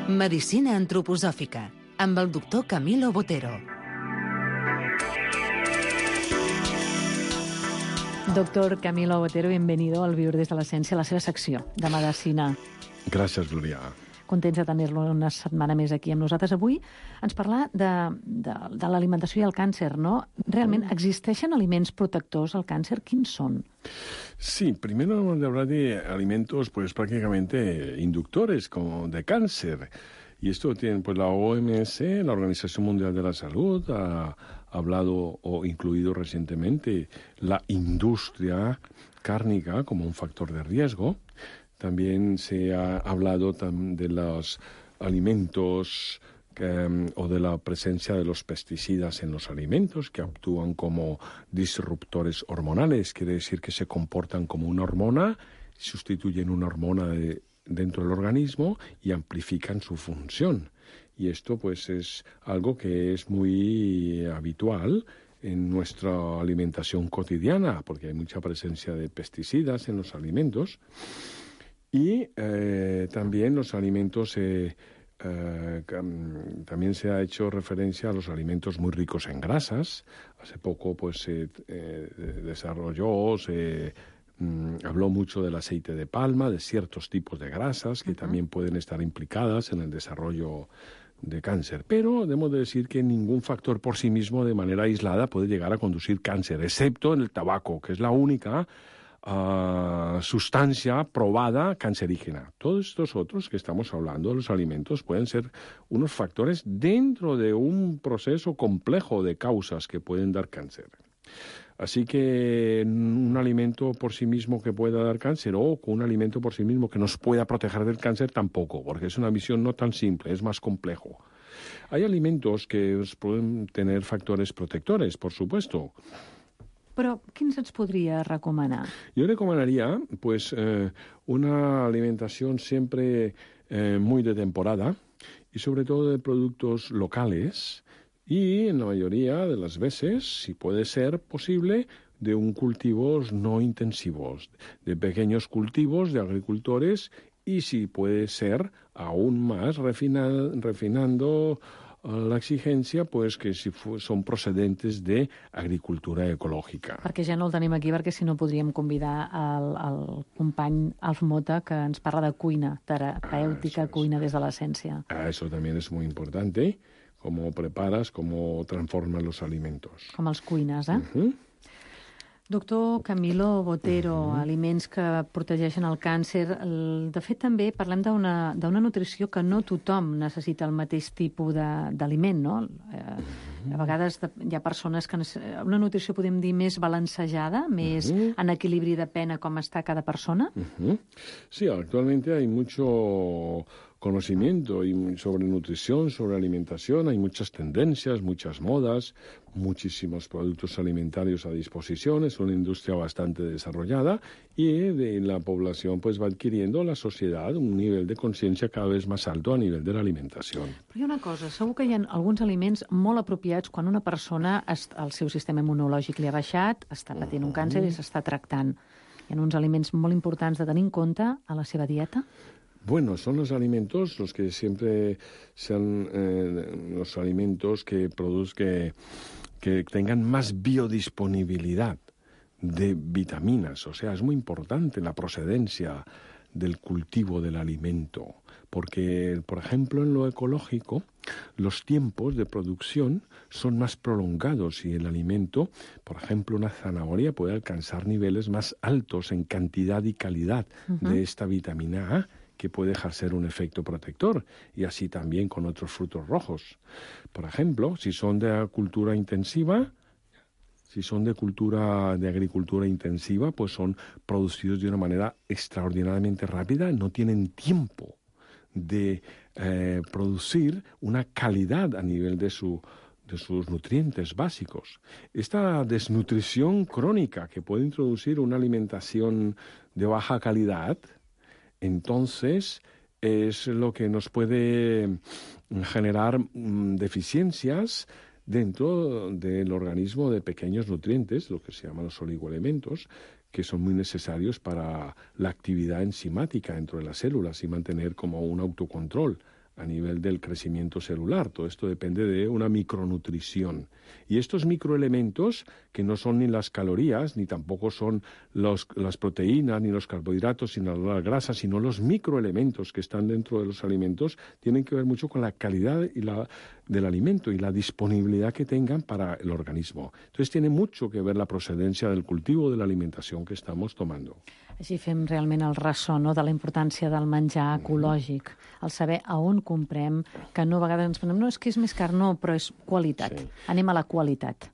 Medicina antroposòfica, amb el doctor Camilo Botero. Doctor Camilo Botero, bienvenido al Viure des de l'essència, a la seva secció de medicina. Gràcies, Gloria. Contents de tenir-lo una setmana més aquí amb nosaltres. Avui ens parla de l'alimentació i el càncer, no? Realment, ¿existeixen aliments protectors al càncer? Quins són? Sí, primero vamos a hablar de alimentos pues prácticamente inductores como de cáncer. Y esto tiene pues la OMS, la Organización Mundial de la Salud, ha hablado o incluido recientemente la industria cárnica como un factor de riesgo. También se ha hablado de los alimentos o de la presencia de los pesticidas en los alimentos que actúan como disruptores hormonales, quiere decir que se comportan como una hormona, sustituyen una hormona dentro del organismo y amplifican su función. Y esto pues es algo que es muy habitual en nuestra alimentación cotidiana, porque hay mucha presencia de pesticidas en los alimentos. Y también los alimentos, también se ha hecho referencia a los alimentos muy ricos en grasas. Hace poco pues se desarrolló, habló mucho del aceite de palma, de ciertos tipos de grasas que también pueden estar implicadas en el desarrollo de cáncer. Pero debemos de decir que ningún factor por sí mismo de manera aislada puede llegar a conducir cáncer, excepto en el tabaco, que es la única sustancia probada cancerígena. Todos estos otros que estamos hablando de los alimentos pueden ser unos factores dentro de un proceso complejo de causas que pueden dar cáncer. Así que un alimento por sí mismo que pueda dar cáncer o un alimento por sí mismo que nos pueda proteger del cáncer tampoco, porque es una visión no tan simple, es más complejo. Hay alimentos que pueden tener factores protectores, por supuesto. Però quins ens podria recomanar? Yo recomendaría pues una alimentación siempre muy de temporada y sobre todo de productos locales y en la mayoría de las veces, si puede ser posible, de cultivos no intensivos, de pequeños cultivos de agricultores y si puede ser aún más refinando la exigencia, pues que si son procedentes de agricultura ecològica. Perquè ja no el tenim aquí, perquè si no podríem convidar el company Alf Mota, que ens parla de cuina, terapèutica, cuina des de l'essència. Eso también es muy importante, cómo preparas, cómo transformas los alimentos. Com els cuines, eh? Doctor Camilo Botero, aliments que protegeixen el càncer. De fet, també parlem d'una nutrició que no tothom necessita el mateix tipus d'aliment, no? A vegades hi ha persones que una nutrició, podem dir, més balancejada, més en equilibri, depèn de com està cada persona. Sí, actualmente hay mucho conocimiento sobre nutrición, sobre alimentación, hay muchas tendencias, muchas modas, muchísimos productos alimentarios a disposición, es una industria bastante desarrollada y la población pues va adquiriendo, la sociedad, un nivel de conciencia cada vez más alto a nivel de la alimentación. Però hi ha una cosa, segur que hi ha alguns aliments molt apropiats quan una persona, el seu sistema immunològic li ha baixat, està patint un càncer i s'està tractant. Hi ha uns aliments molt importants de tenir en compte a la seva dieta? Bueno, son los alimentos los que siempre sean los alimentos que tengan más biodisponibilidad de vitaminas. O sea, es muy importante la procedencia del cultivo del alimento, porque, por ejemplo, en lo ecológico, los tiempos de producción son más prolongados y el alimento, por ejemplo, una zanahoria puede alcanzar niveles más altos en cantidad y calidad de esta vitamina A, que puede ejercer un efecto protector, y así también con otros frutos rojos. Por ejemplo, si son de cultura intensiva, si son de agricultura intensiva, pues son producidos de una manera extraordinariamente rápida, no tienen tiempo de producir una calidad a nivel de sus nutrientes básicos. Esta desnutrición crónica que puede introducir una alimentación de baja calidad, entonces es lo que nos puede generar deficiencias dentro del organismo de pequeños nutrientes, lo que se llaman los oligoelementos, que son muy necesarios para la actividad enzimática dentro de las células y mantener como un autocontrol a nivel del crecimiento celular. Todo esto depende de una micronutrición. Y estos microelementos, que no son ni las calorías, ni tampoco son las proteínas, ni los carbohidratos, sino las grasas, sino los microelementos que están dentro de los alimentos, tienen que ver mucho con la calidad del alimento y la disponibilidad que tengan para el organismo. Entonces tiene mucho que ver la procedencia del cultivo de la alimentación que estamos tomando. Així fem realment el ressò, no?, de la importància del menjar ecològic, el saber a on comprem, que no a vegades ens pensem, no, és que és més car, no, però és qualitat. Sí. Anem a la qualitat.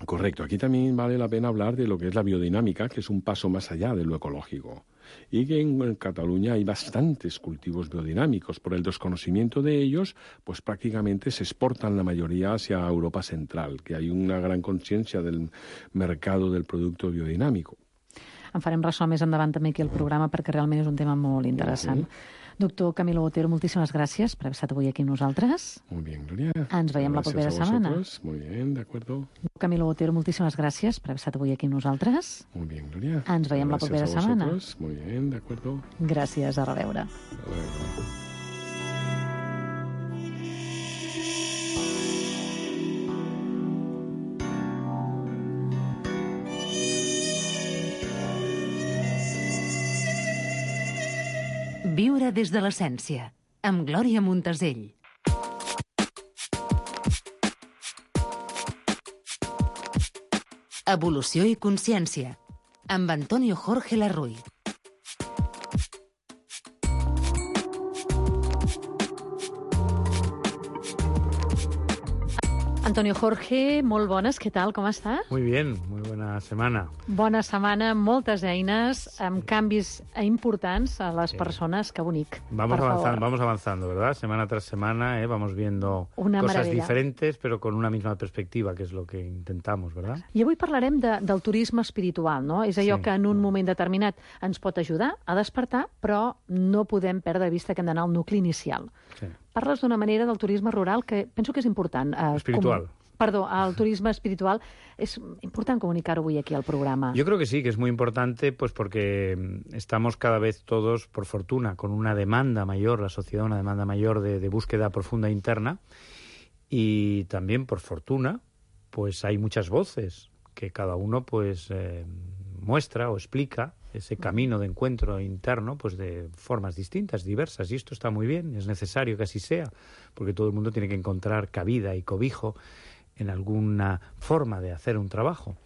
Correcto. Aquí también vale la pena hablar de lo que es la biodinámica, que es un paso más allá de lo ecológico. Y que en Cataluña hay bastantes cultivos biodinámicos. Por el desconocimiento de ellos, pues prácticamente se exportan la mayoría hacia Europa Central, que hay una gran conciencia del mercado del producto biodinámico. En farem ressò més endavant també aquí al programa perquè realment és un tema molt interessant. Doctor Camilo Otero, moltíssimes gràcies per haver estat avui aquí amb nosaltres. Muy bien, Gloria. Ens veiem la propera setmana. Muy bien, de acuerdo. Camilo Otero, moltíssimes gràcies per haver estat avui aquí amb nosaltres. Muy bien, Gloria. Ens veiem la propera setmana. Muy bien, de acuerdo. Gràcies, a reveure. Viure des de l'essència, amb Glòria Montesell. Evolució i consciència, amb Antonio Jorge Larruy. Antonio Jorge, molt bones, què tal, com està? Muy bien, muy buena semana. Bona setmana, moltes eines, amb canvis importants a les persones, que bonic. Vamos avanzando, ¿verdad? Semana tras semana, vamos viendo una cosas maravilla. Diferentes, pero con una misma perspectiva, que es lo que intentamos, ¿verdad? I avui parlarem del turisme espiritual, no? És allò que en un moment determinat ens pot ajudar a despertar, però no podem perdre de vista que hem d'anar al nucli inicial. Sí. Parles d'una manera del turisme rural que penso que és important. Espiritual. El turisme espiritual es important comunicar hoy aquí al programa. Yo creo que sí, que es muy importante, pues porque estamos cada vez todos, por fortuna, con una demanda mayor, la sociedad, una demanda mayor de búsqueda profunda interna, y también, por fortuna, pues hay muchas voces que cada uno pues muestra o explica ese camino de encuentro interno pues de formas distintas, diversas, y esto está muy bien, es necesario que así sea, porque todo el mundo tiene que encontrar cabida y cobijo en alguna forma de hacer un trabajo.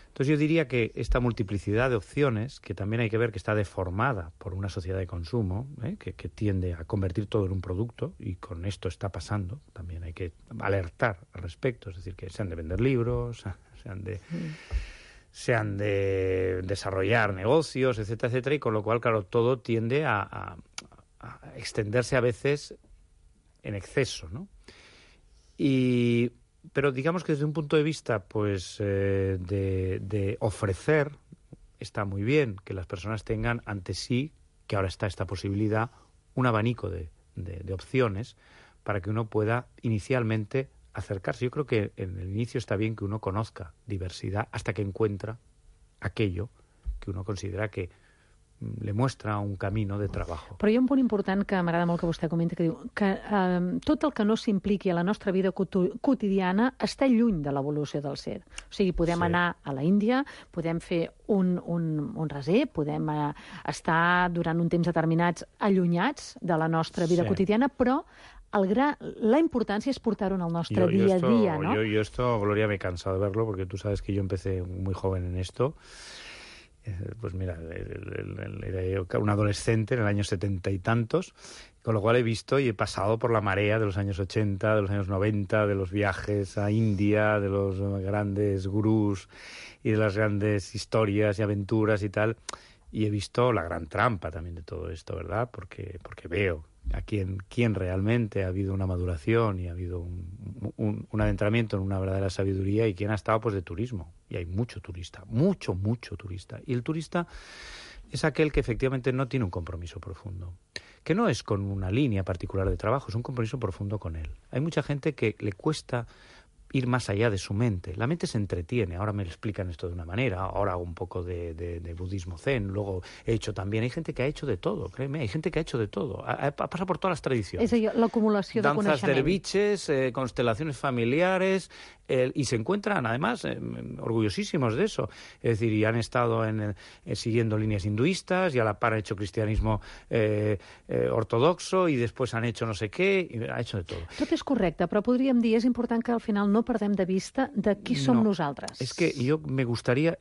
Entonces yo diría que esta multiplicidad de opciones, que también hay que ver que está deformada por una sociedad de consumo, que tiende a convertir todo en un producto, y con esto está pasando, también hay que alertar al respecto, es decir, que se han de vender libros, se han de desarrollar negocios, etcétera, etcétera, y con lo cual, claro, todo tiende a extenderse a veces en exceso, ¿no? Pero digamos que desde un punto de vista pues de ofrecer, está muy bien que las personas tengan ante sí, que ahora está esta posibilidad, un abanico de opciones para que uno pueda inicialmente acercarse. Yo creo que en el inicio está bien que uno conozca diversidad hasta que encuentra aquello que uno considera que le muestra un camino de trabajo. Però hi ha un punt important que m'agrada molt que vostè comenta, que diu que tot el que no s'impliqui a la nostra vida quotidiana està lluny de l'evolució del ser. O sigui, podem anar a la Índia, podem fer un reser, podem estar durant un temps determinats allunyats de la nostra vida quotidiana, però la importància és portar-ho en el nostre dia a dia, ¿no? Yo esto, Gloria, me he cansado de verlo, porque tú sabes que yo empecé muy joven en esto. Pues mira, era yo un adolescente en el año 70 y tantos, con lo cual he visto y he pasado por la marea de los años 80, de los años 90, de los viajes a India, de los grandes gurús y de las grandes historias y aventuras y tal, y he visto la gran trampa también de todo esto, ¿verdad? Porque veo a quién realmente ha habido una maduración y ha habido un adentramiento en una verdadera sabiduría, y quién ha estado pues de turismo. Y hay mucho turista, mucho turista. Y el turista es aquel que efectivamente no tiene un compromiso profundo, que no es con una línea particular de trabajo, es un compromiso profundo con él. Hay mucha gente que le cuesta ir más allá de su mente. La mente se entretiene. Ahora me explican esto de una manera, ahora hago un poco de budismo zen, luego he hecho también. Hay gente que ha hecho de todo, créeme, hay gente que ha hecho de todo. Ha pasado por todas las tradiciones. És a dir, l'acumulació de Danzas coneixement. derviches, constelaciones familiares, y se encuentran, además, orgullosísimos de eso. Es decir, y han estado siguiendo líneas hinduistas, y a la par han hecho cristianismo ortodoxo, y después han hecho no sé què, y ha hecho de todo. Tot és correcte, però podríem dir, és important que al final no perdem de vista de qui som nosaltres. Es que yo me gustaría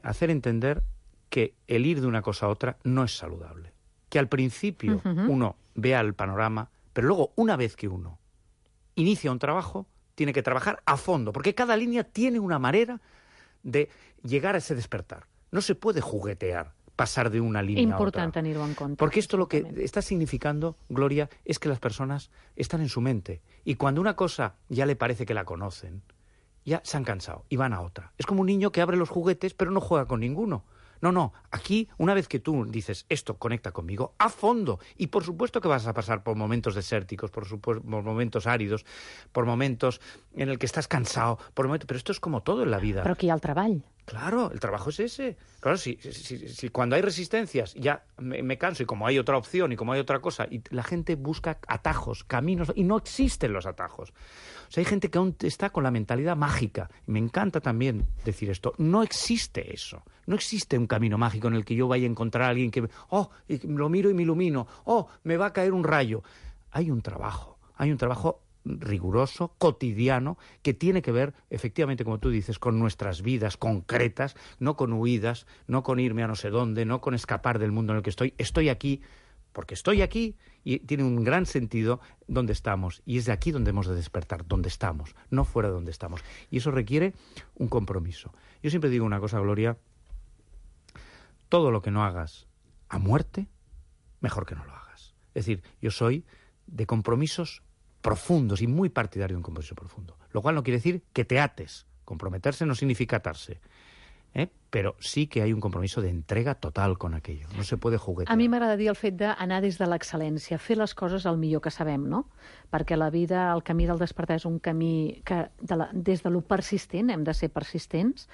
hacer entender que el ir de una cosa a otra no es saludable. Que al principio uno vea el panorama, pero luego, una vez que uno inicia un trabajo, tiene que trabajar a fondo, porque cada línea tiene una manera de llegar a ese despertar. No se puede juguetear, pasar de una línea a otra. Important tenir-ho en compte. Porque esto lo que está significando, Gloria, es que las personas están en su mente. Y cuando una cosa ya le parece que la conocen, ya se han cansado y van a otra. Es como un niño que abre los juguetes pero no juega con ninguno. No, aquí, una vez que tú dices, esto conecta conmigo, a fondo. Y por supuesto que vas a pasar por momentos desérticos, por momentos áridos, por momentos en el que estás cansado, pero esto es como todo en la vida. Però aquí hi ha el treball. Claro, el trabajo es ese. Claro, si cuando hay resistencias ya me canso, y como hay otra opción y como hay otra cosa, y la gente busca atajos, caminos, y no existen los atajos. O sea, hay gente que aún está con la mentalidad mágica. Y me encanta también decir esto. No existe eso. No existe un camino mágico en el que yo vaya a encontrar a alguien que, y lo miro y me ilumino, me va a caer un rayo. Hay un trabajo riguroso, cotidiano, que tiene que ver, efectivamente, como tú dices, con nuestras vidas concretas, no con huidas, no con irme a no sé dónde, no con escapar del mundo en el que estoy. Estoy aquí porque estoy aquí, y tiene un gran sentido donde estamos, y es de aquí donde hemos de despertar, donde estamos, no fuera de donde estamos. Y eso requiere un compromiso. Yo siempre digo una cosa, Gloria: todo lo que no hagas a muerte, mejor que no lo hagas. Es decir, yo soy de compromisos profundos y muy partidario de un compromiso profundo. Lo cual no quiere decir que te ates. Comprometerse no significa atarse. Però sí que hay un compromiso de entrega total con aquello. No se puede juguetear. A mi m'agrada dir el fet d'anar des de l'excel·lència, fer les coses el millor que sabem, no? Perquè la vida, el camí del despertar és un camí que des de lo persistent, hem de ser persistents,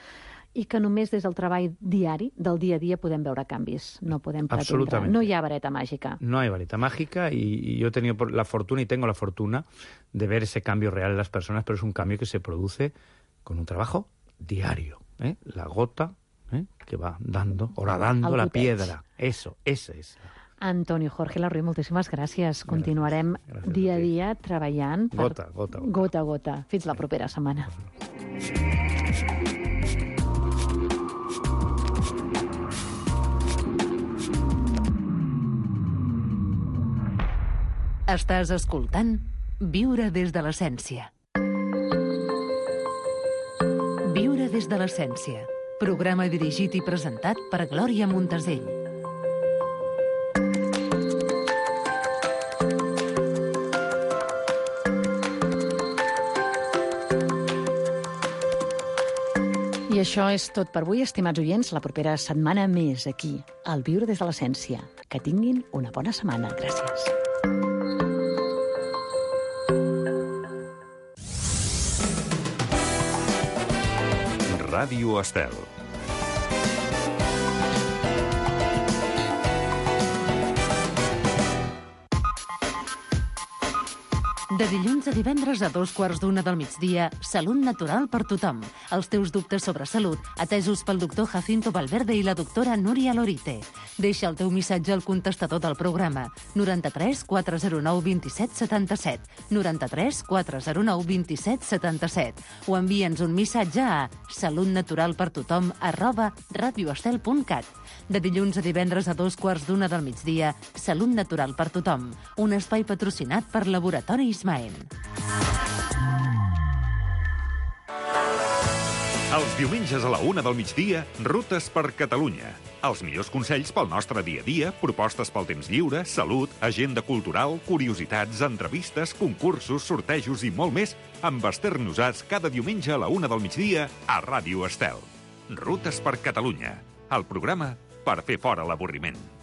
i que només des del treball diari, del dia a dia, podem veure canvis. No podem pretendre. No hi ha vareta màgica. No hay vareta mágica, y yo he tenido la fortuna, y tengo la fortuna, de ver ese cambio real en las personas, pero es un cambio que se produce con un trabajo diario. La gota que va dando, horadando la piedra. Eso, ese es. Antonio Jorge Larruy, moltíssimes gràcies. Continuarem dia a dia treballant. Gota a gota. Fins la propera setmana. Estàs escoltant Viure des de l'essència. Viure des de l'essència. Programa dirigit i presentat per Glòria Montesell. I això és tot per avui, estimats oients. La propera setmana més aquí, al Viure des de l'essència. Que tinguin una bona setmana. Gràcies. Ràdio Estel. De dilluns a divendres a 2:15 del migdia, Salut Natural per tothom. Els teus dubtes sobre salut, atesos pel doctor Jacinto Valverde i la doctora Núria Lorite. Deixa el teu missatge al contestador del programa 93 409 27 77, 93 409 27 77, o envia'ns un missatge a salutnaturalpertothom@radioestel.cat. De dilluns a divendres a 2:15 del migdia, Salut Natural per tothom, un espai patrocinat per Laboratori Ismael. Els diumenges a la 1 del migdia, Rutes per Catalunya. Els millors consells pel nostre dia a dia, propostes pel temps lliure, salut, agenda cultural, curiositats, entrevistes, concursos, sortejos i molt més amb Esther Nosats cada diumenge a la 1 del migdia a Ràdio Estel. Rutes per Catalunya, el programa per fer fora l'avorriment.